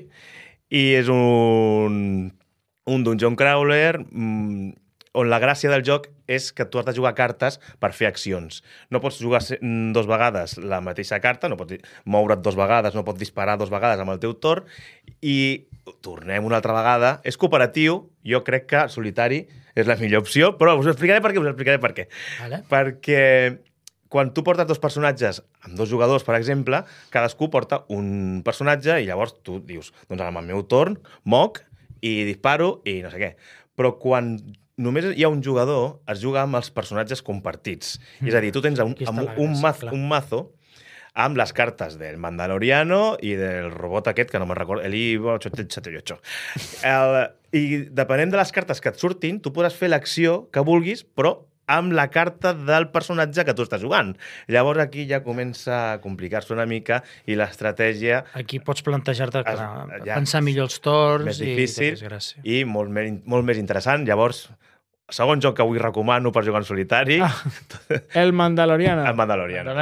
i és un, un dungeon crawler mmm, on la gràcia del joc és que tu has de jugar cartes per fer accions. No pots jugar se- mm, dos vegades la mateixa carta, no pots moure't dos vegades, no pots disparar dos vegades amb el teu torn, i tornem una altra vegada. És cooperatiu, jo crec que solitari és la millor opció, però us ho explicaré per què, us ho explicaré per què. Vale. Perquè quan tu portes dos personatges amb dos jugadors, per exemple, cadascú porta un personatge i llavors tu dius, doncs ara amb el meu torn moc i disparo i no sé què. Però quan només hi ha un jugador, es juga amb els personatges compartits. Mm. És a dir, tu tens un, Aquí està amb la un, gràcia, mazo, clar. un mazo amb les cartes del Mandaloriano i del robot aquest, que no me'n recordo, el I ocho siete ocho. El, I depenent de les cartes que et surtin, tu podràs fer l'acció que vulguis, però amb la carta del personatge que tu estàs jugant. Llavors aquí ja comença a complicar-se una mica i l'estratègia Aquí pots plantejar-te, Es- clar, ja. pensar millor els torns més i difícil tot és gràcia. i molt més, molt més interessant. Llavors, segon joc que avui recomano per jugar en solitari, Ah. El Mandaloriano. el Mandaloriano.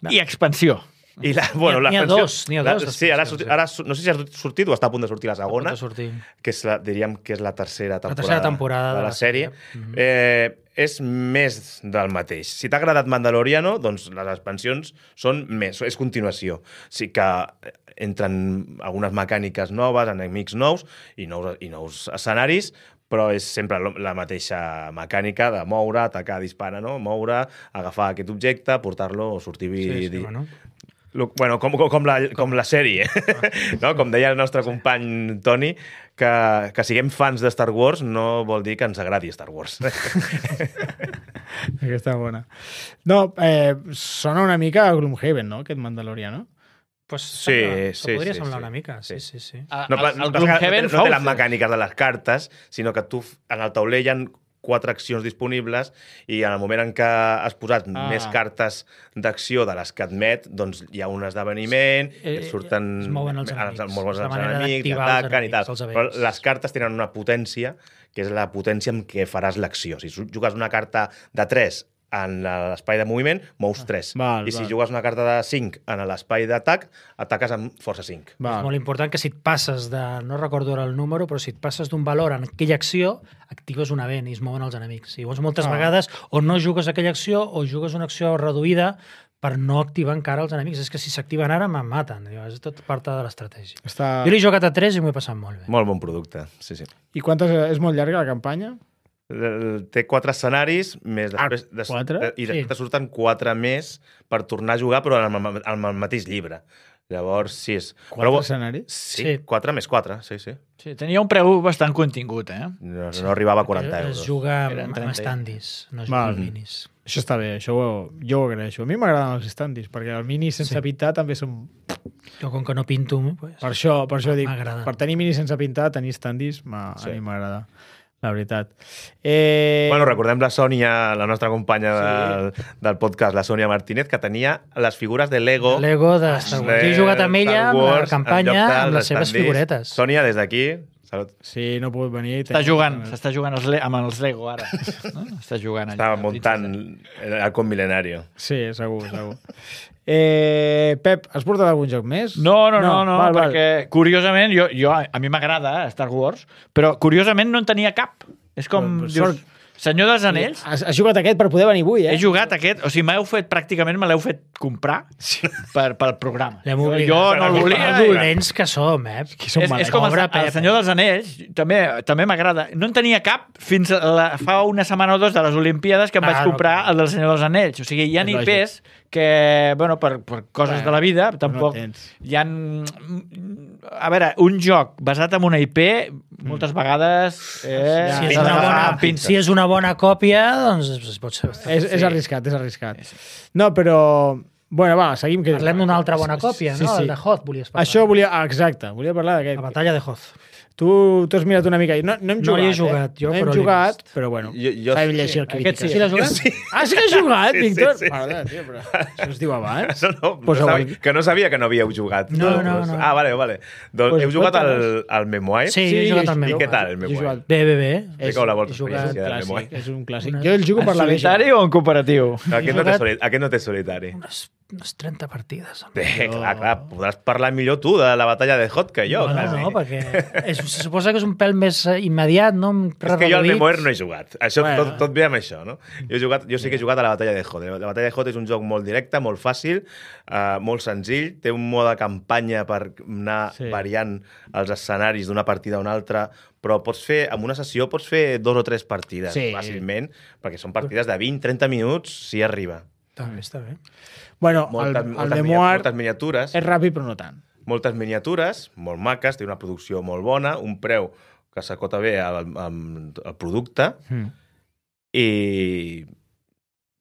No, i expansió. I la, bueno, N'hi ha- n'hi ha l'expansió- dos, n'hi ha la- dos Sí, ara, expansions, ara, no sé si ha sortit o està a punt de sortir la segona, Pot sortir. que és la, diríem que és la tercera temporada, tercera temporada de la sèrie. Mhm. eh, és més del mateix. Si t'ha agradat Mandaloriano, doncs les expansions són més, és continuació. Sí que entren algunes mecàniques noves, enemics nous i nous, i nous escenaris, però és sempre lo- la mateixa mecànica de moure, atacar, disparar, no? Moure, agafar aquest objecte, portar-lo o sortir... Sí, sí, di- bueno. Lo- Bueno, com, com, com, la, com la sèrie, no? Com deia el nostre company Toni, que, que siguem fans de Star Wars no vol dir que ens agradi Star Wars. Aquesta bona. No, eh, sona una mica a Gloomhaven, no? Aquest Mandaloriano. Pues Sí, sembla, sí, podria sí, semblar sí. una mica, sí, Sí. sí, sí. A- No, el, pa- el no, no, Gloomhaven no, fa no té les últim. mecàniques de les cartes, sinó que tu f- en el taulell hi ha quatre accions disponibles i en el moment en què has posat Ah. ah. més cartes d'acció de les que admet, doncs hi ha un esdeveniment, Eh, et surten... es mouen els els- enemics. els, mouen És la els manera enemics, d'activar els ataquen i tal. enemics, els Però events. les cartes tenen una potència, que és la potència amb què faràs l'acció. Si jugues una carta de tres en l'espai de moviment, mous tres. Val, I si val. jugues una carta de cinc en l'espai d'atac, ataques amb força cinc. Va. És molt important que si et passes de... No recordo ara el número, però si et passes d'un valor en aquella acció, actives un event i es mouen els enemics. I llavors moltes Ah. vegades o no jugues aquella acció o jugues una acció reduïda per no activar encara els enemics. És que si s'activen ara, me'n maten. És tot part de l'estratègia. Està... Jo l'he jugat a tres i m'ho he passat molt bé. Molt bon producte, sí, sí. I quantes... És molt llarga la campanya? El- Té quatre escenaris, més Ah, després... des- quatre? de- I després Sí. te surten quatre més per tornar a jugar, però en el, en el mateix llibre. Llavors, sis. Quatre Però, escenaris? sí, Sí. quatre més quatre, sí, sí. Sí, tenia un preu bastant contingut, eh? No, no arribava a quaranta Es euros. juga Eren amb, trenta. amb standis, no es Val. juga amb minis. Això està bé, això ho, jo ho agraeixo. A mi m'agraden els standis, perquè el mini sense Sí. pintar també són... Jo, com que no pinto, pues, Per això, per això dic, m'agrada. per tenir mini sense pintar, tenir standis, m'ha- Sí. a mi m'agrada, la veritat. Eh... Bueno, recordem la Sònia, la nostra companya del, del podcast, la Sònia Martínez, que tenia les figures de Lego... Lego de Star Wars. de Jo he jugat amb ella, Star amb la Wars, en lloc campanya, dels amb les seves standees. figuretes. Sònia, des d'aquí, salut. Sí, no he pogut venir. Està jugant, s'està jugant els le amb els Lego ara. No? Està jugant allà. Estava muntant el Halcón Milenario. Sí, segur, segur. Eh, Pep, has portat algun joc més? No, no, no, no, val, val. perquè curiosament, jo, jo, a mi m'agrada Star Wars, però curiosament no en tenia cap. És com, Però, dius, sort- Senyor dels Anells, Has, has jugat aquest per poder venir avui, eh? he jugat aquest, o sigui, m'heu fet, pràcticament me l'heu fet comprar per, pel programa. L'hem Jo, obligat. jo no el volia. Els i- dolents que som, eh? Qui som És, malets. és com el, Pobre el Pep. Senyor dels Anells, també també m'agrada. No en tenia cap fins a la, fa una setmana o dos de les Olimpíades que em Ah, vaig no, comprar clar. el del Senyor dels Anells. O sigui, hi ha És I lògic. Ps que, bueno, per, per coses Bueno, de la vida, tampoc... tens. hi ha... A veure, un joc basat en una I P, moltes vegades... Eh, Ja, Si és, ja, una ja, bona, ja, pinta. si és una bona còpia, doncs es pot ser. És, és arriscat, és arriscat. No, però... Bueno, va, seguim. Que... Parlem d'una altra bona còpia, Sí, no? sí. El de Hoth, volies parlar. Això volia... Ah, exacte, volia parlar La d'aquest. batalla de Hoth. Tu t'ho has mirat una mica. No, no hem No jugat, hi he jugat, eh? jo, no hem però l'he jugat, vist. però bueno. Jo- jo Sabem sí. llegir Aquest crítiques. sí l'has jugat? Sí. Ah, sí que has jugat, Sí, sí, Víctor? sí. Perdona, tio, però això es diu abans. No, no, Pues no avui- sabia, que no sabia que no havíeu jugat. No, no, no. Ah, vale, vale. Doncs Pues heu jugat al, cuéntanos. al Memoir? Sí, he jugat al I Memoir. què tal, el Jo he Memoir? jugat- Bé, bé, bé. Expliqueu la vostra És un experiència del Memoir. clàssic, és un clàssic. Una- Jo el jugo en per la bella. solitari o en cooperatiu? Aquest no, té jugat- soli... Aquest no té solitari. Unes, unes trenta partides. home. Bé, clar, clar, podràs parlar millor tu de la batalla de Hot que jo, no, quasi. no, perquè és, se suposa que és un pèl més eh, immediat, no? És que jo al Reduït. Memoir no he jugat. Això, Bueno. tot, tot ve amb això, no? Jo, he jugat, jo sí que he jugat a la batalla de Hot. La batalla de Hot és un joc molt directe, molt fàcil, uh, molt senzill, té un mode campanya per anar Sí. sí. variant els escenaris d'una partida a una altra, però pots fer, en una sessió pots fer dos o tres partides Sí. fàcilment, perquè són partides de vint a trenta minuts si arriba. Està bé, està bé. Bueno, Moltes, el, el moltes, Memoir moltes miniatures. és ràpid, però no tant. moltes miniatures, molt maques, té una producció molt bona, un preu que s'acota bé al, al, al producte Mm. i...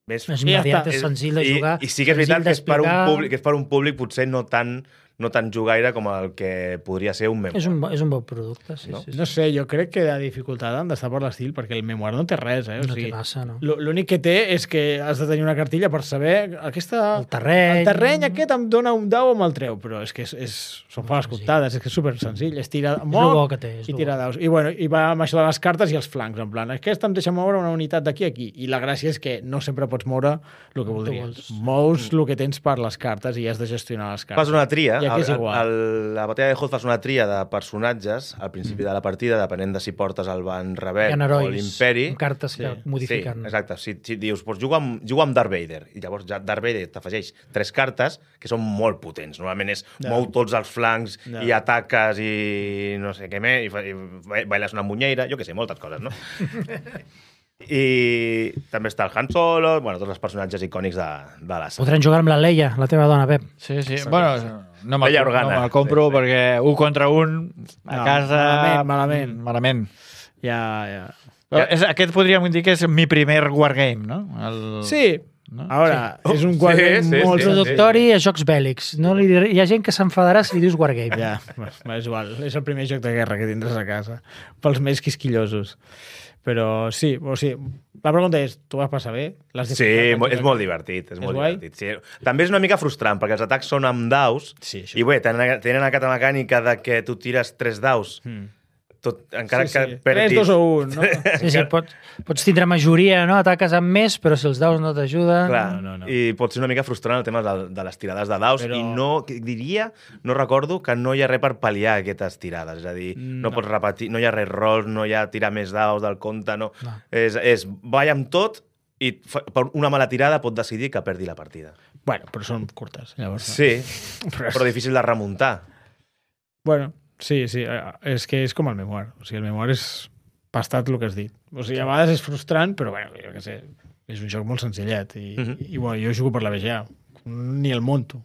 Més, És immediat, és senzill de jugar. I, i sí que és veritat que és per, un d'explicar. públic, que és per un públic potser no tan, no tan jugaire com el que podria ser un memoir. És un, bo- és un bon producte, sí, No? sí, sí. No sé, jo crec que la dificultat han d'estar per l'estil, perquè el memoir no té res, eh? O No té sigui, massa, no? l- L'únic que té és que has de tenir una cartilla per saber aquesta... El terreny... El terreny aquest em dona un dau o me'l treu, però és que és, és, són fa les comptades, és que és super senzill, és tirar És el bo que té. És i lo tirar bo. daus. I, bueno, I va amb això de les cartes i els flancs, en plan, aquesta em deixa moure una unitat d'aquí a aquí. I la gràcia és que no sempre pots moure el que voldries. vols. Mous el que tens per les cartes i has de gestionar les cartes. Fas una tria, I aquí és el- igual. el- la batalla de Hoth fas una tria de personatges al principi de la partida, depenent de si portes el Van Hi Rebel ha o herois l'Imperi. amb cartes que modifiquen. Sí, exacte. Si, si dius, doncs juga amb, juga amb Darth Vader, i llavors ja Darth Vader t'afegeix tres cartes que són molt potents. Normalment és Ja. mou tots els flancs Ja. i ataques i no sé què més, i, fa- i ba- bailes una munyeira, jo què sé, moltes coses, no? I també està el Han Solo, bueno, tots els personatges icònics de, de la saga. Podran jugar amb la Leia, la teva dona, Pep. Sí, sí. Bueno, no me'l Bella no Organa. me compro Sí, sí. perquè un contra un a No, casa... malament, malament. Malament. Ja, ja. Però és, aquest podríem dir que és mi primer wargame, no? El... Sí, No? ara, Sí. és un Sí, guardià sí, molt... sí. Introductori a jocs bèl·lics. No li diré... Hi ha gent que s'enfadarà si li dius Wargame. Ja, bueno, és igual. És el primer joc de guerra que tindràs a casa. Pels més quisquillosos. Però sí, o sigui, la pregunta és, tu vas passar bé? L'has Sí, disfrutat? mo- és molt divertit. És, És molt guai? divertit. Sí. També és una mica frustrant, perquè els atacs són amb daus, Sí, això. i bé, tenen, tenen aquesta mecànica de que tu tires tres daus, Mm. tot, encara Sí, que sí. perdis... tres, dos o un, no? Sí, sí, pot, pots tindre majoria, no? Ataques amb més, però si els daus no t'ajuden... Clar, No, no, no. i pot ser una mica frustrant el tema de, de les tirades de daus, Però- i no, que diria, no recordo que no hi ha res per pal·liar aquestes tirades, és a dir, no, No. no pots repetir, no hi ha res rolls, no hi ha tirar més daus del compte, no. No. És, és balla amb tot i fa- per una mala tirada pot decidir que perdi la partida. Bueno, però són curtes, llavors. no? Sí, Però, però difícil de remuntar. Bueno, sí, sí, eh, és que és com el memoir. O sigui, el memoir és pastat el que has dit. O sigui, a vegades és frustrant, però bueno, jo què sé, és un joc molt senzillet. I, Mhm. i bueno, jo jugo per la B G A. Ni el monto.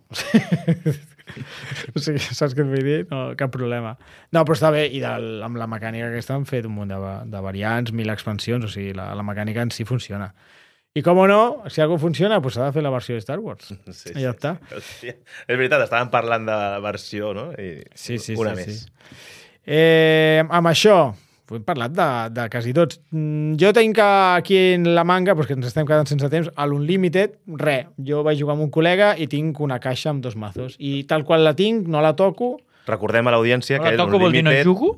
O sigui, saps què et vull dir? No, cap problema. No, però està bé, i del, amb la mecànica aquesta han fet un munt de, va- de variants, mil expansions, o sigui, la, la mecànica en si funciona. I com no, si alguna funciona, doncs s'ha de fer la versió de Star Wars. Sí, I ja està. Hòstia. És veritat, estàvem parlant de la versió, no? I Sí, sí, una sí, més. sí. Eh, amb això, hem parlat de, de quasi tots. Mm, Jo tinc aquí en la manga, doncs que ens estem quedant sense temps, a l'Unlimited, res. Jo vaig jugar amb un col·lega i tinc una caixa amb dos mazos. I tal qual la tinc, no la toco. Recordem a l'audiència que La toco vol dir no jugo?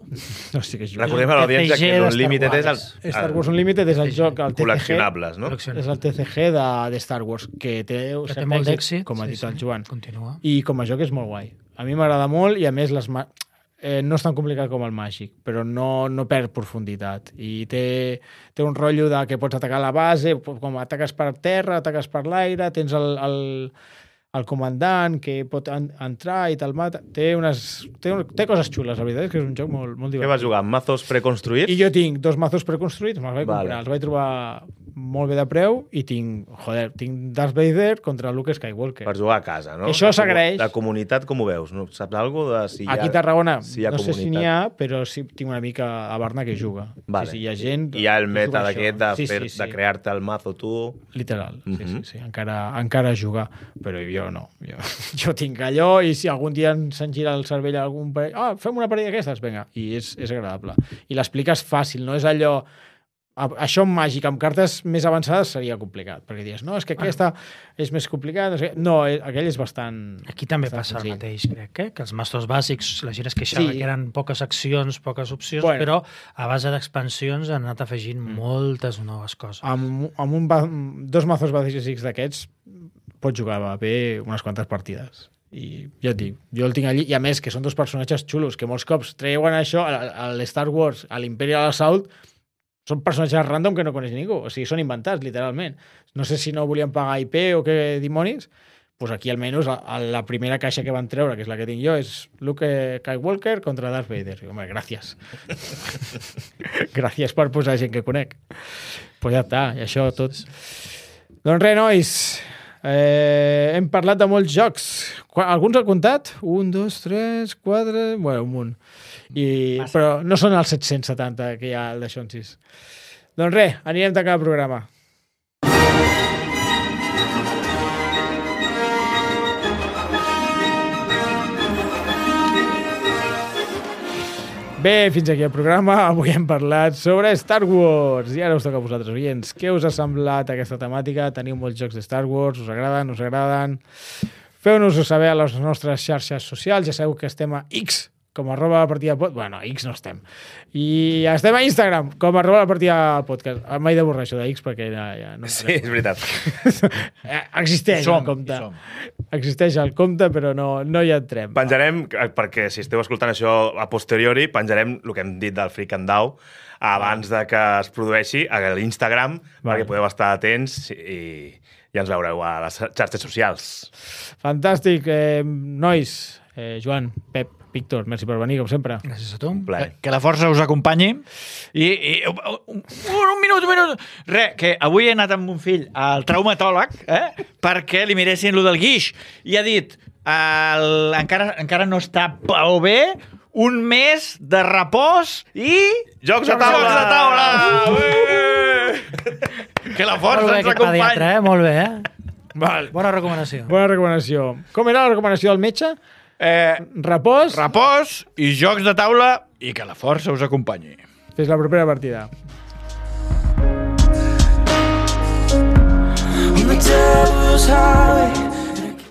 No sé què és jugar. Recordem a l'audiència T C G que de l'Unlimited Star és el, Wars. Star Wars Unlimited és el joc, el T C G. col·leccionables, no? Col·leccionables. És el T C G de, de Star Wars, que té, Que té cert molt d'èxit. com ha Sí, dit sí. el Joan. Continua. I com a joc és molt guai. A mi m'agrada molt i, a més, les ma... eh, no és tan complicat com el Màgic, però no, no perd profunditat. I té, té un rotllo de que pots atacar la base, com ataques per terra, ataques per l'aire, tens el, el, el comandant que pot en, entrar i te'l mata. Té, unes, té, un, té coses xules, la veritat és que és un joc molt, molt Què divertit. vas jugar? Amb mazos preconstruïts? I jo tinc dos mazos preconstruïts, me'ls vaig Vale. comprar, els vaig trobar molt bé de preu i tinc, joder, tinc Darth Vader contra Luke Skywalker. Per jugar a casa, no? Això La comu- s'agraeix. La comunitat, com ho veus? No? Saps alguna cosa de si hi ha... Aquí a Tarragona, si hi ha no sé si n'hi comunitat? ha, però sí tinc una mica a Barna que juga. Vale. Sí, sí, hi ha gent... I hi ha el que meta juga a d'aquest això. de, sí, fer, sí, sí. de crear-te el mazo tu... Literal, sí, Mhm. sí, sí. Encara, encara jugar, però jo no. Jo, jo tinc allò i si algun dia se'n gira el cervell a algun parell... Ah, fem una parella d'aquestes, vinga. I és, és agradable. I l'expliques fàcil, no és allò... a- Això en màgic, amb cartes més avançades seria complicat, perquè dius, no, és que aquesta és més complicada. No, sé què. No, eh, aquell és bastant... Aquí també bastant passa el senzill. mateix, crec, eh? que els mastos bàsics, la gent es queixava Sí. que eren poques accions, poques opcions, Bueno. però a base d'expansions han anat afegint moltes noves coses. Amb, amb un, ba- dos mazos bàsics d'aquests pots jugar bé unes quantes partides. I ja et dic, jo el tinc allí, i a més que són dos personatges xulos, que molts cops treuen això a, a l'Star Wars, a l'Imperial Assault, són personatges random que no coneix ningú, o sigui, són inventats, literalment. No sé si no volien pagar I P o què dimonis, doncs aquí almenys a, a la primera caixa que van treure, que és la que tinc jo, és Luke Skywalker contra Darth Vader. I, home, gràcies. gràcies per posar gent que conec. Doncs pues ja està, i això tot. Doncs res, nois, Eh, hem parlat de molts jocs. Qua- Alguns ha comptat? Un, dos, tres, quatre... Bueno, un munt. I, però no són els set-cents setanta que hi ha al d'això en sis. Doncs res, anirem tancant el programa. Bé, fins aquí el programa. Avui hem parlat sobre Star Wars. I ara us toca a vosaltres, oients. Què us ha semblat aquesta temàtica? Teniu molts jocs de Star Wars? Us agraden? Us agraden? Feu-nos-ho saber a les nostres xarxes socials. Ja sabeu que estem a X, com arroba la partida podcast. Bueno, a X no estem. I estem a Instagram, com arroba la partida podcast. Mai de borrar això de X perquè ja, ja no... Sí, és veritat. Existeix Som, el compte. som. Existeix el compte, però no, no hi entrem. Penjarem, perquè si esteu escoltant això a posteriori, penjarem el que hem dit del Freak and Dow abans de que es produeixi a l'Instagram, Vale. perquè podeu estar atents i, i ens veureu a les xarxes socials. Fantàstic. Eh, nois, eh, Joan, Pep, Víctor, merci per venir, com sempre. Gràcies a tu. Un plaer. Que la força us acompanyi. I, i un, un, un minut, un minut. Re, que avui he anat amb mon fill al traumatòleg eh, perquè li miressin lo del guix. I ha dit, el, encara, encara no està prou bé, un mes de repòs i... Jocs de taula! Jocs de taula! Ué! Que la força Molt bé, ens aquest pediatre, acompanyi. eh? Molt bé, eh? Val. Bona recomanació. Bona recomanació. Com era la recomanació del metge? Eh, Repòs. repòs i jocs de taula i que la força us acompanyi. Fins la propera partida. On the devil's highway,